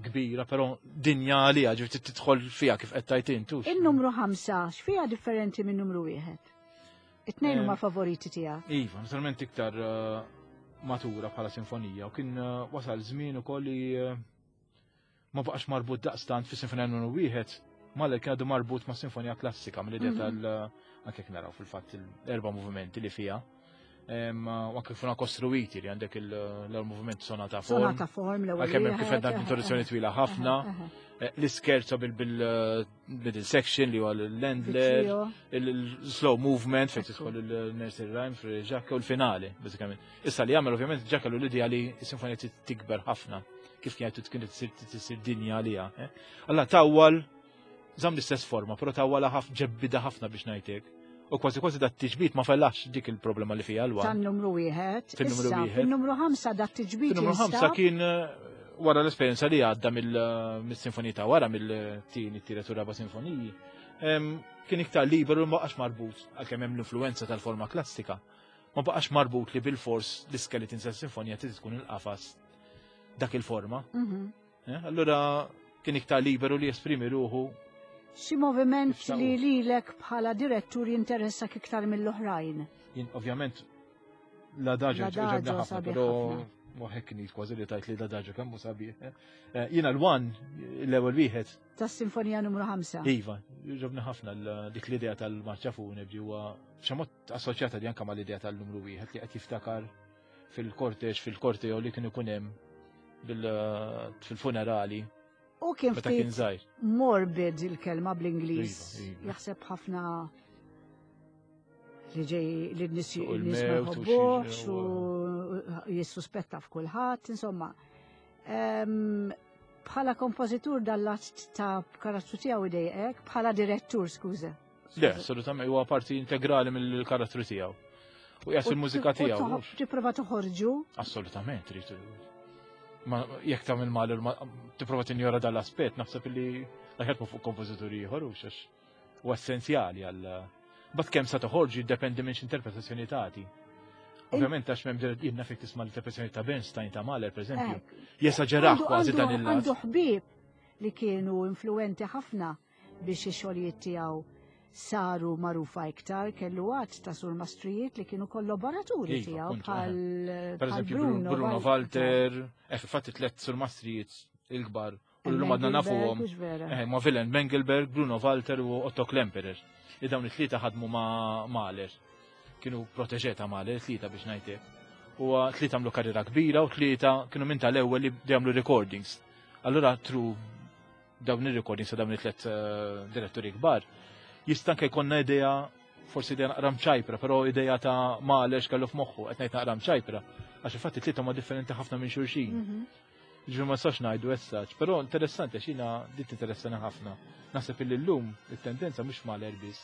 kbira, però dinja għaliha ġifieri tidħol fiha kif qed tgħid int. In-numru ħamsa x'fiha differenti minn numru wieħed? It-tnejn huma eh, favoriti tiegħek. Iva, naturalment iktar eh, matura bħala sinfonija u kien eh, wasal żmien ukoll li ma baqax marbut daqstant fi sinfonija numru wieħed, Mahler kien għadu marbut ma' sinfonija klassika mill-idea mhm. tal anke jekk naraw fil-fatt l-erba' movimenti li fiha. U anke kif kostruiti li għandek l-ewwel moviment sonata form. Sonata form l-ewwel. Għalkemm hemm kif għedna introduzzjoni twila ħafna. Eh, l-iskerzo bil-middle section li huwa l-Lendler, il-slow movement fejn tidħol il-nursery rhyme fil-ġakka u l-finali, bażikament. Issa li jagħmel ovvjament ġa kellu l-idea li s-sinfonija tikber ħafna kif kienet kienet tisir dinja għaliha. Eh? Alla tawwal żamm l-istess forma, però tawwala ħafna ġebbida ħafna biex ngħidlek. U kważi kważi dat tiġbid ma fellax dik il-problema li fija l-wan. Tan-numru wieħed. Fin-numru wieħed. Fin-numru ħamsa dat tiġbid. Fin-numru ħamsa kien eh, wara l-esperjenza li għadda eh, mill-sinfonija ta' wara mill-tieni, t-tielet u raba' sinfoniji, kien iktar liberu ma baqax marbut għalkemm hemm l-influenza tal-forma klassika. Ma baqax marbut li bil-fors l-iskeleton sa' sinfonija trid tkun il-qafas dak il-forma. Mhm. Eh, allura kien iktar liberu li jesprimi ruħu. Xi moviment li lilek bħala direttur jinteressak iktar mill-oħrajn? Jien ovvjament l-adaġo ġobna ħafna, però waħek kien kważi li tajt li l-adaġo kemm sabiħ. Eh. Eh, jiena l-one l-ewwel wieħed. Tas-sinfonija numru 5. Iva, ġobna ħafna dik l-idea tal-marċa funebri huwa xamot assoċjata di anka mal-idea tal-numru wieħed li qed jiftakar fil-korteġ, fil-korteo li kien ikun hemm fil-funerali. U kien ftit morbid il-kelma bl-Ingliż. Iva, iva. Jaħseb ħafna li ġej li n-nies ma jħobbuhx u jissuspetta f'kulħadd, insomma. Bħala kompożitur dal-lat ta' karattru tiegħu idejqek, bħala direttur, skuża. Le, assolutament huwa parti integrali mill-karattru tiegħu. U qiegħed fil-mużika tiegħu. Tipprova toħorġu? Assolutament, trid. Ma jekk tagħmel mal tipprova tinjora dal-aspett, naħseb li laħet fuq kompożituri ieħor u xax u essenzjali għal Bat kemm sa toħorġu jiddependi minn x'interpretazzjoni tagħti. Ovvjament għax m'hemm jien nafek tisma' l-interpretazzjoni ta' Bernstein ta' Mahler pereżempju. Jesaġerah kważi dan il-lat. Għandu ħbieb li kienu influenti ħafna biex ix-xogħlijiet tiegħu saru magħrufa iktar, kellu għadd ta' surmastrijiet li kienu kollaboraturi iva, tiegħu bħal Per eżempju Bruno, Bruno Walter, eh, fil-fatt it-tlet surmastrijiet il-kbar u l-lum għadna nafuhom. Eh, ma' Willem Mengelberg, Bruno Walter u Otto Klemperer. Li dawn it-tlieta ħadmu ma' Mahler. Kienu proteġe ta' Mahler, tlieta biex ngħidlek. U tlieta għamlu karriera kbira u tlieta kienu minn tal-ewwel li għamlu recordings. Allura tru dawn ir-recordings ta' dawn it-tlet eh, diretturi kbar, jista' anke jkollna idea forsi idea naqra mċajpra, però idea ta' Mahler x'kellu f'moħħu, qed ngħid naqra mċajpra, għax infatti tlieta huma differenti ħafna minn xulxin. Mhm. Ġifieri ma nistax ngħidu as such, però interessanti għax jiena din tinteressani ħafna. Naħseb illi llum it-tendenza mhux Mahler biss,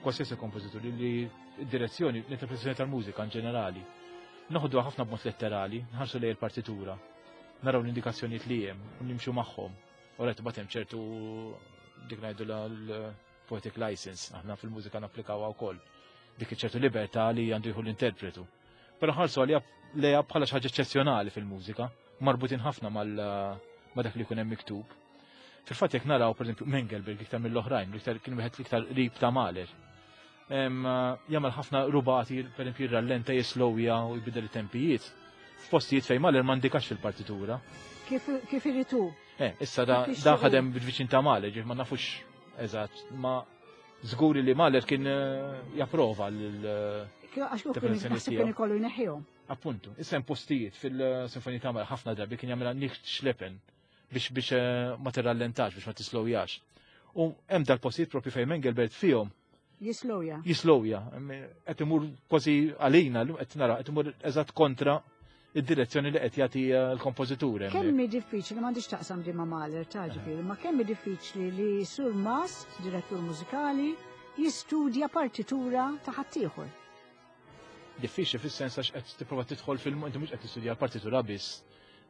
qualsiasi kompożitur li d-direzzjoni, l-interpretazzjoni tal-mużika in ġenerali. Noħduha ħafna b'mod letterali, nħarsu lejn il-partitura, naraw l-indikazzjonijiet li hemm u nimxu magħhom. U rajt bagħad hemm ċertu dik ngħidu l-poetic license, aħna fil-mużika napplikawha wkoll. Dik ċertu libertà li għandu jieħu l-interpretu. Però ħarsu għalija lejha bħala xi ħaġa eċċezzjonali fil-mużika, marbutin ħafna mal ma dak li jkun hemm miktub. Fil-fatt jekk naraw pereżempju Mengelberg iktar mill-oħrajn, l-iktar kien wieħed l-iktar qrib ta' Mahler. Jagħmel ħafna rubati, pereżempju jirrallenta, jislowja u jbidel it-tempijiet. F'postijiet fejn Mahler ma ndikax fil-partitura. Kif irid hu? Eh, issa da ħadem bil-viċin ta' Mahler, ġif ma nafux eżatt, ma Żgur li Mahler kien eh, japprova l eh, Għax kien kien ikollu jneħħihom. Appuntu, issa hemm postijiet fil-Sinfonija ta' Mahler ħafna drabi kien jagħmilha nicht schleppen biex biex eh, ma tirrallentax, biex ma tislowjax. U hemm dal-postijiet propju fejn Mengelbert fihom. Jislowja. Jislowja. Qed imur kważi għalina, qed nara, qed imur eżatt kontra id-direzzjoni li qed jagħti eh, l-kompożitur. Kemm hi diffiċli m'għandix taqsam di ma' Mahler ta' ġifieri, ma kemm hi diffiċli li Sur Mast, direttur mużikali, jistudja partitura ta' ħaddieħor. Diffiċli fis-sens għax qed tipprova tidħol fil inti mhux qed tistudja l-partitura biss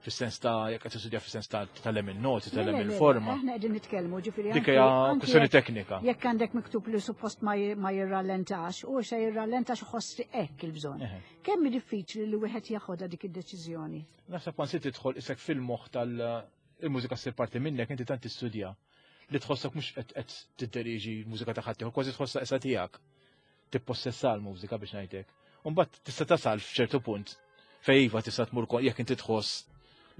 fis-sens ta' jekk qed tistudja fis-sens ta' tagħlem il-noti, tagħlem il-forma. Aħna qegħdin nitkellmu ġifieri. Dik hija kwistjoni teknika. Jekk għandek miktub li suppost ma jirrallentax, u se jirrallentax ħoss hekk il-bżonn. Kemm hi diffiċli li wieħed jaħodha dik id-deċiżjoni? Naħseb once tidħol isek fil-moħħ tal il-mużika ssir parti minnek inti tant tistudja li tħossok mhux qed tidderiġi l-mużika ta' ħaddieħor, kważi tħossha issa tiegħek. Tippossessa l-mużika biex ngħidlek. U mbagħad tista' tasal f'ċertu punt fejn iva tista' tmur jekk inti tħoss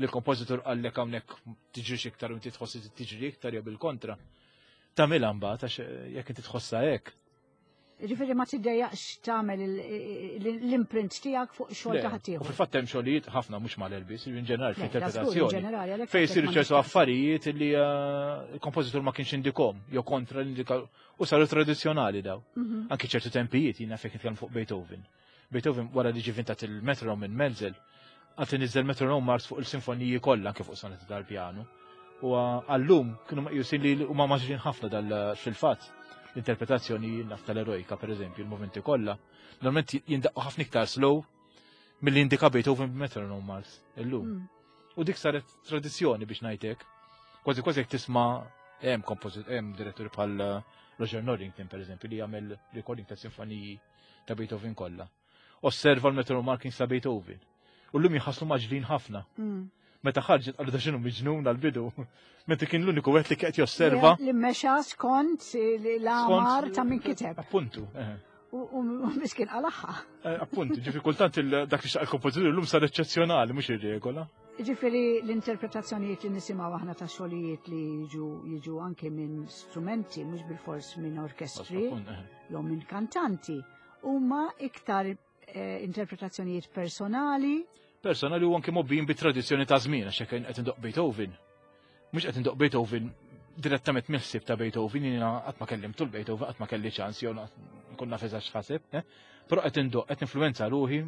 li l-kompożitur qallek hawnhekk tiġrix iktar u inti tħoss li tiġri iktar jew bil-kontra. Tagħmilha mbagħad għax jekk inti tħossha hekk. Ġifieri ma tiddejjaqx tagħmel l-imprint tiegħek fuq xogħol ta' ħaddieħor. U fil-fatt hemm xogħlijiet ħafna mhux mal-elbis, in ġenerali fl-interpretazzjoni. Fejn isiru ċertu affarijiet li eh, l-kompożitur ma kienx indikom jew kontra l-indika u saru tradizzjonali daw. Mhm. Anki ċertu tempijiet jiena fejn nitkellem fuq Beethoven. Beethoven wara li ġi vintat il-metronom minn Menzel, għad inizzel metronom Mars fuq il-sinfoniji kollha anke fuq sonati tal-pjanu. U għallum kienu meqjusin li huma maġrin ħafna dal fil-fatt l-interpretazzjoni naf tal-erojka pereżempju, il-movimenti kollha. Normalment jindaqqu ħafna iktar slow milli indika Beethoven b'metronom Mars illum. Mm. U dik saret tradizzjoni biex ngħidlek. Kważi kważi jekk tisma' hemm kompożit hemm diretturi bħal eh, Roger Norrington pereżempju li jagħmel recording ta' sinfoniji ta' Beethoven kollha. Osserva l-metro markings ta' Beethoven. U l-lum jħasslu maġlin ħafna. Mm. Meta ħarġet qalu da xinu miġnun għal-bidu. Meta kien l-uniku wieħed li qed josserva. Li mexa skont l-amar ta' min kiteb. Appuntu. U miskin għalaħħa. Eh, appuntu, ġifi kultant dak li xaq il-kompożitur l-lum sar eċċezzjonali, mhux ir-regola. Ġifieri l-interpretazzjonijiet li nisimgħu aħna ta' xogħlijiet li jiġu jiġu anke minn strumenti, mhux bilfors minn orkestri, eh. jew minn kantanti, huma iktar eh, interpretazzjonijiet personali. Personali u anke mobbijin bi tradizzjoni ta' żmien għax hekk qed indoq Beethoven. Mhux qed indoq Beethoven direttament mill-ħsieb ta' Beethoven, jiena qatt ma kellimtu l-Beethoven, qatt ma kelli ċans jew nkun naf eżatt x'ħaseb, eh? Però qed indoq qed influenza ruħi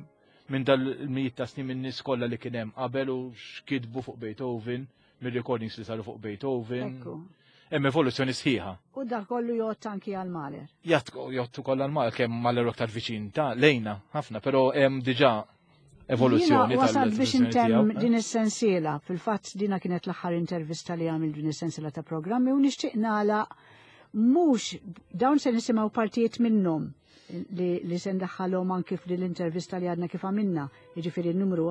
minn dal-mijiet ta' snin minn nies kollha li kien hemm qabel u x'kitbu fuq Beethoven, mir-recordings li saru fuq Beethoven. Hemm evoluzzjoni sħiħa. U dak kollu jgħod anki għal Mahler. Jgħod ukoll għal Mahler kemm Mahler aktar viċin ta' lejna ħafna, però hemm diġà evoluzzjoni tal Wasal biex intemm din is-sensiela, fil-fatt dina kienet l-aħħar intervista li għamil din is-sensiela ta' programmi u nixtieq nagħlaq mhux dawn se nisimgħu partijiet minnhom li, li se ndaħħalhom anki f'din l-intervista li għadna kif għamilna, jiġifieri n-numru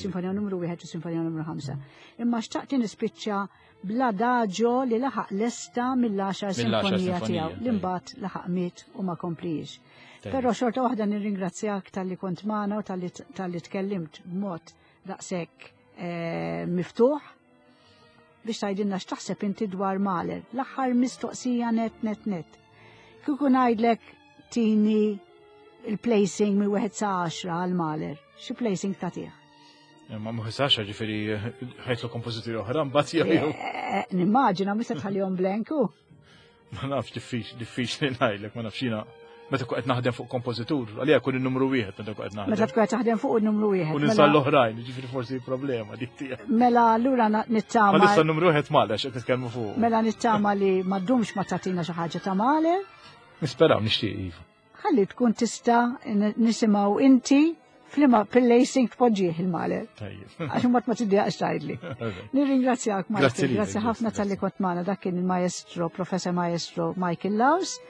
sinfonija numru wieħed u sinfonija numru ħamsa. Imma xtaqt nispiċċa bl-adaġo li laħaq lesta mill-10 sinfonija tiegħu li mbagħad laħaq miet u ma komplijiex. Però xorta waħda nirringrazzjak tal-li kont magħna u tal-li tkellimt b'mod daqshekk eh, miftuħ biex tgħidilna x'taħseb inti dwar Mahler. L-aħħar mistoqsija net net net. Kieku ngħidlek tini il-placing minn wieħed sa 10 għal Mahler, xi placing tagħtih? Eh, ma mhux sa 10 ġifieri ħajtlu kompożituri oħra mbagħad jew. Eh, eh, nimmaġina mhux se tħallihom blanku. Ma nafx diffiċli ngħidlek, ma nafx jiena. Meta qed naħdem fuq kompożitur, għalija jkun in-numru wieħed meta qed naħdem. Meta tkun qed taħdem fuq in-numru wieħed. U ninsa mela- l-oħrajn, ġifieri forsi problema dik tiegħek. Mela allura nittama. Ma nista' numru wieħed Mahler x'qed nitkellmu fuq. Mela nittama li ma ddumx ma tagħtina xi ħaġa ta' Mahler. Nisperaw nixtieq iva. Ħalli tkun tista' nisimgħu inti flima pil-lacing tpoġġih il-Mahler. Għax imbagħad ma tiddejaqx tgħidli. Nirringrazzjak Michael, grazzi ħafna talli kont magħna dak kien il-maestro, Professor Maestro Michael Laws,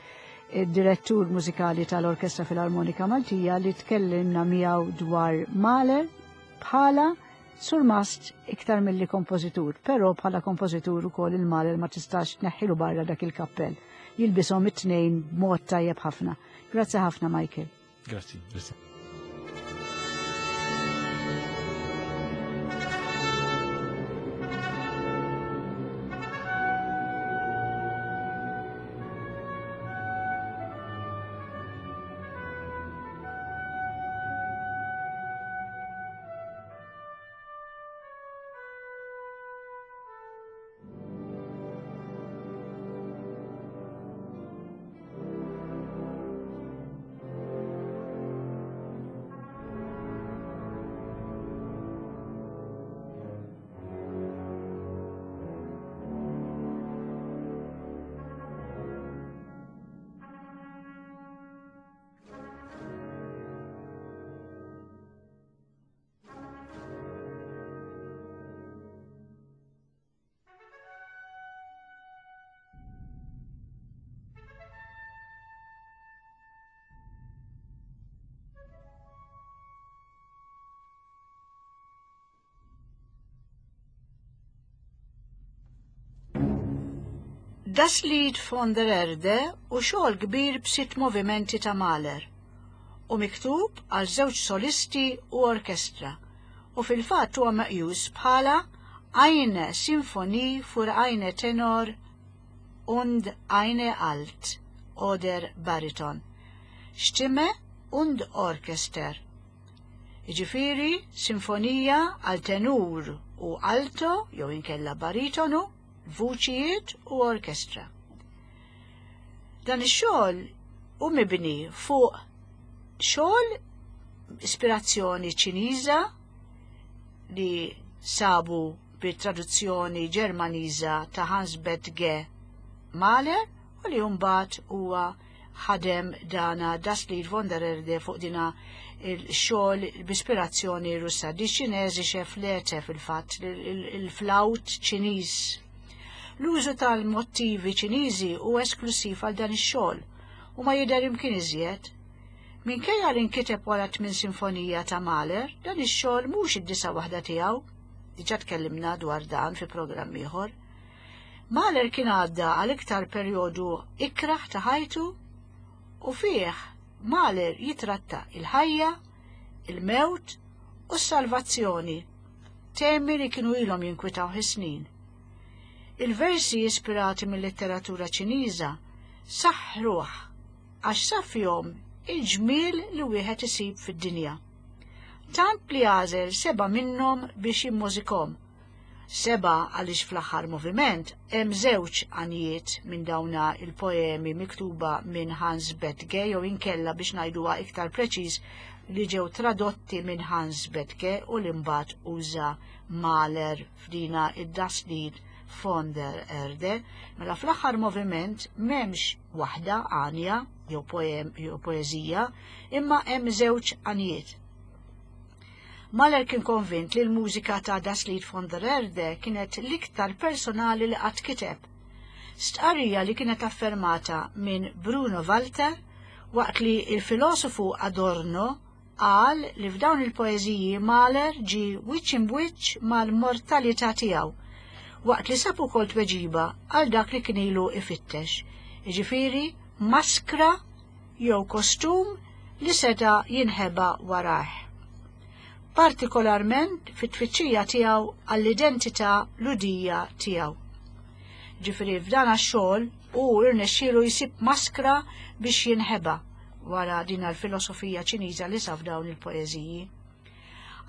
id-direttur mużikali tal-Orkestra Filarmonika Maltija li tkellimna miegħu dwar Mahler bħala surmast iktar milli kompożitur, però bħala kompożitur ukoll il-Mahler ma tistax tneħħilu barra dak il-kappell. Jilbishom it-tnejn b'mod tajjeb ħafna. Grazzi ħafna Michael. Grazzi, grazzi. Das Lied von der Erde u xogħol kbir b'sitt movimenti ta' Mahler u miktub għal żewġ solisti u orkestra u fil-fatt huwa meqjus bħala eine Sinfonie für eine Tenor und eine Alt oder Bariton, Stimme und Orchester. Jiġifieri sinfonija għal tenur u alto jew inkella baritonu, vuċijiet u orkestra. Dan ix-xogħol hu mibni fuq xogħol ispirazzjoni Ċiniża li sabu bit-traduzzjoni Ġermaniża ta' Hans Bethge Mahler u li mbagħad huwa ħadem dana Das Lied von der Erde fuq dina il-xogħol b'ispirazzjoni Russa. Di Ċineżische Flöte fil-fatt, il-flawt Ċiniż. L-użu tal-motivi Ċiniżi huwa esklusiv għal dan ix-xogħol u ma jidher imkien iżjed. Minkejja li nkiteb wara tmien sinfonija ta' Mahler, dan ix-xogħol mhux id-disa' waħda tiegħu. Diġà tkellimna dwar dan fi programm ieħor. Mahler kien għadda għal iktar perjodu ikrah ta' ħajtu u fih Mahler jitratta il-ħajja, il-mewt u s-salvazzjoni, temi li kienu ilhom jinkwitawh is-snin. Il-versi ispirati mil-letteratura Ċiniża saħħruh għax sab fihom il-ġmiel li wieħed isib fid-dinja. Tant li għażel seba' minnhom biex jimmużikhom. Seba' għaliex fl-aħħar moviment hemm żewġ għanjiet minn dawna il-poemi miktuba minn Hans Bethge jew inkella biex ngħiduha iktar preċiż li ġew tradotti minn Hans Bethge u li mbagħad uża Mahler f'dina id-Das Lied von der Erde. Mela fl-aħħar moviment m'hemmx waħda għanja jew poem jew poeżija, imma hemm żewġ għanjiet. Mahler kien konvint li l-mużika ta' Das Lied von der Erde kienet l-iktar personali li qatt kiteb. Stqarrija li kienet affermata minn Bruno Walter waqt li il-filosofu Adorno qal li f'dawn il-poeżiji Mahler ġie wiċċ imbwiċċ mal-mortalità tiegħu, waqt li sab ukoll tweġiba għal dak li kien ilu ifittex, jiġifieri maskra jew kostum li seta' jinħeba warajh. Partikolarment fit-tfittxija tiegħu għall-identità Lhudija tiegħu. Ġifieri f'dan għax-xogħol hu rnexxielu jsib maskra biex jinħeba wara din l-filosofija Ċiniża li sa f'dawn il-poeżiji.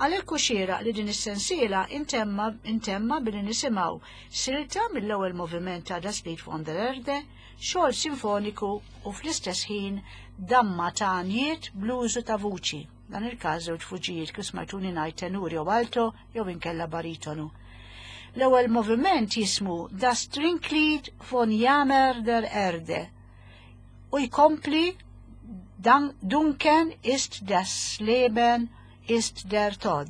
Għalhekk hu xieraq li din is-sensiela intemma intemma billi nisimgħu silta mill-ewwel moviment ta' Das Lied von der Erde, xogħol sinfoniku u fl-istess ħin damma ta' għanjiet bl-użu ta' vuċi, dan il-każ żewġ vuċijiet kif smajtuni ngħid tenur jew alto jew inkella baritonu. L-ewwel moviment jismu Das Trinklied von Jammer der Erde u jkompli Dunken ist das Leben ist der Tod.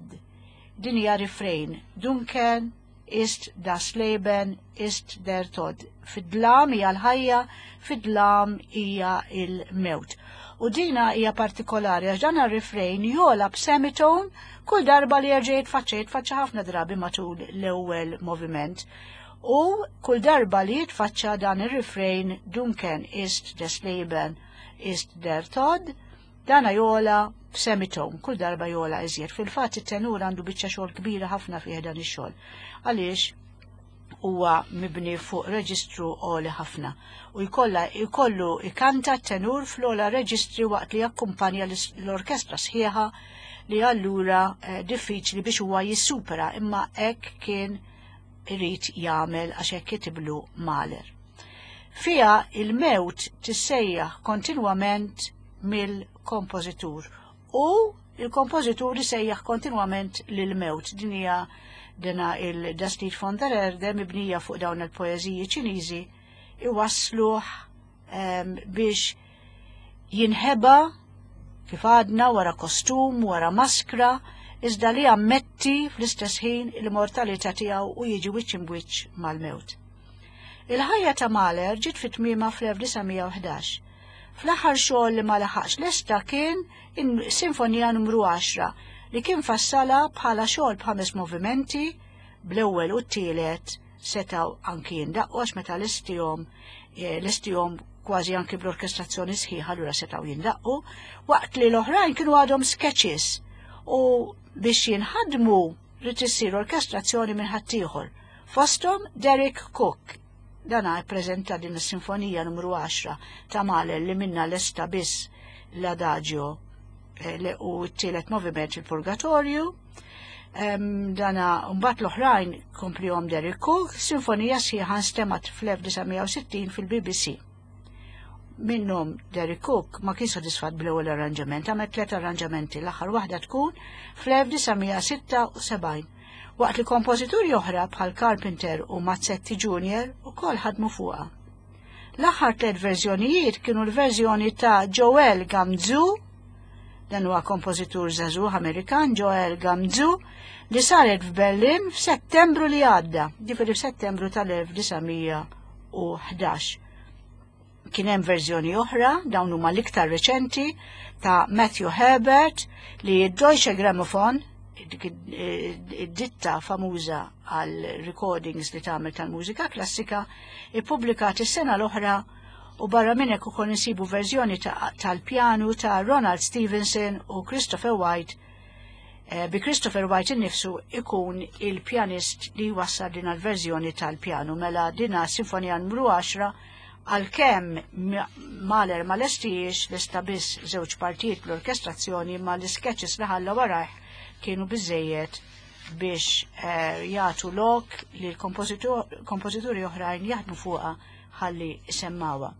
Din hija refrain. Dunken ist das Leben ist der Tod. Fid-dlam hija l-ħajja, fid-dlam hija il-mewt. U dina hija partikolari għax dan ir-refrain jola b'semitone kull darba li jerġa' jitfaċċa jitfaċċa ħafna drabi matul l-ewwel moviment. U kull darba li jitfaċċa dan ir-refrain Dunken ist des Leben ist der Tod, Dana jogħla b'semitone, kull darba jogħla iżjed. Fil-fatt it-tenur għandu biċċa xogħol kbira ħafna fih dan ix-xogħol. Għaliex huwa mibni fuq reġistru għoli ħafna u jkollha jkollu ikanta t-tenur fl-ogħla reġistri waqt li jakkumpanja l-orkestra sħiħa li allura eh, diffiċli biex huwa jissupera imma hekk kien irid jagħmel għax hekk kitiblu Mahler. Fiha il-mewt tissejjaħ kontinwament mill-kompożitur u il-kompożitur isejjaħ kontinwament lil-mewt. Din hija dina il-Das Lied von der Erde mibnija fuq dawn il-poeżiji Ċiniżi iwassluh ehm, biex jinħeba kif għadna wara kostum, wara maskra, iżda li ammetti fl-istess ħin il-mortalità tiegħu u jiġi wiċċ imbwiċċ mal-mewt. Il-ħajja ta' Mahler ġiet fi tmiemha fl-1911. Fl-aħħar xogħol li ma laħaqx lesta kien in-Sinfonija Numru 10 li kien fassalha bħala xogħol b'ħames movimenti bl-ewwel u t-tielet setgħu anki jindaqqu għax meta lestihom eh, lestihom kważi anki bl-orkestrazzjoni sħiħa allura setgħu jindaqqu, waqt li l-oħrajn kienu għadhom sketches u biex jinħadmu rrid issir orkestrazzjoni minn ħaddieħor. Fosthom Derek Cook. Dana ppreżenta din is-sinfonija numru 10 ta' Mahler li minna lesta biss l-Adagio eh, u t-tielet moviment il-Purgatorju. Dana mbagħad l-oħrajn komplihom Derek Cook, sinfonija sħiħa nstemat fl-1960 fil-BBC. Minnhom Derek Cook ma kien sodisfatt bl-ewwel arranġament, għamel tliet arranġamenti, l-aħħar waħda tkun fl-1976. Waqt li kompożituri oħra bħal Carpenter u Mazzetti Jr. ukoll ħadmu fuqha. L-aħħar tliet verżjonijiet kienu l-verżjoni ta' Joel Gamzu, dan huwa kompożitur żagħżugħ Amerikan Joel Gamzu, li saret f'Berlin f'Settembru li għadda, ġifieri f'Settembru tal-1911. Kien hemm verżjoni oħra, dawn huma l-iktar reċenti, ta' Matthew Herbert li d-Deutsche Grammophon, id-ditta famuża għal recordings li tagħmel tal-mużika klassika, ippubblikat is-sena l-oħra u barra minn hekk ukoll insibu verżjoni tal-pjanu ta' Ronald Stevenson u Christopher White eh, bi Christopher White innifsu ikun il-pjanist li jwassal din għal-verżjoni tal-pjanu mela dina sinfonija numru 10 għalkemm Mahler ma lestijiex lesta biss żewġ partijiet bl-orkestrazzjoni ma l-sketches li ħalla warajh kienu biżejjed biex eh, jagħtu lok li l-kompożituri oħrajn jaħdmu fuqha ħalli semmawha.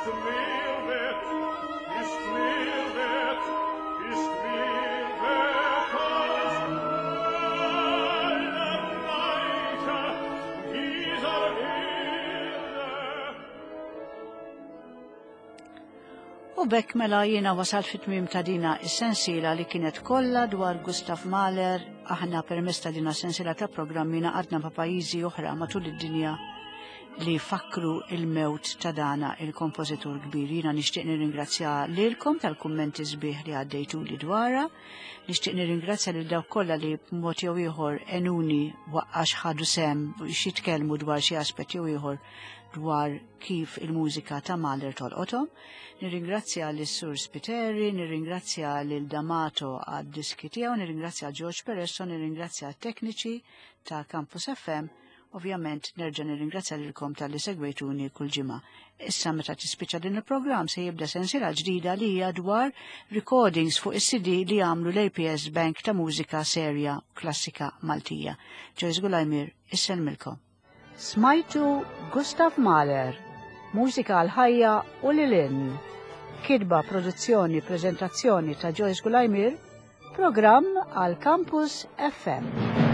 U bekk mela jiena wasalt fit-tmiem ta' dina is-sensiela li kienet kollha dwar Gustav Mahler, aħna permezz ta' dina sensiela ta' programmi naqadna ma' pajjiżi oħra matul id-dinja li fakru il-mewt ta' dana il-kompożitur kbir. Jiena nixtieq nirringrazzja lilkom tal-kummenti sbieħ li għaddejtu li dwarha. Nixtieq nirringrazzja lil dawk kollha li b'mod jew ieħor enuni waqqax ħadu sem biex jitkellmu dwar xi aspett jew ieħor dwar kif il-mużika ta' Mahler tolqothom. Nirringrazzja lis sur Spiteri, nirringrazzja lil D'Amato għad-diski tiegħu, nirringrazzja George Peresso, nirringrazzja t-tekniċi ta' Campus FM. Ovvjament nerġa' nirringrazzja lilkom talli segwejtuni kull ġimgħa. Issa meta tispiċċa din il-programm se jibda sensiela ġdida li hija dwar recordings fuq is-CD li għamlu l-APS Bank ta' mużika serja klassika Maltija. Joyce Gulajmir, isselmilkom. Smajtu Gustav Mahler, mużika għal ħajja u lil hinn. Kitba, produzzjoni, preżentazzjoni ta' Joyce Gulajmir, programm għal Campus FM.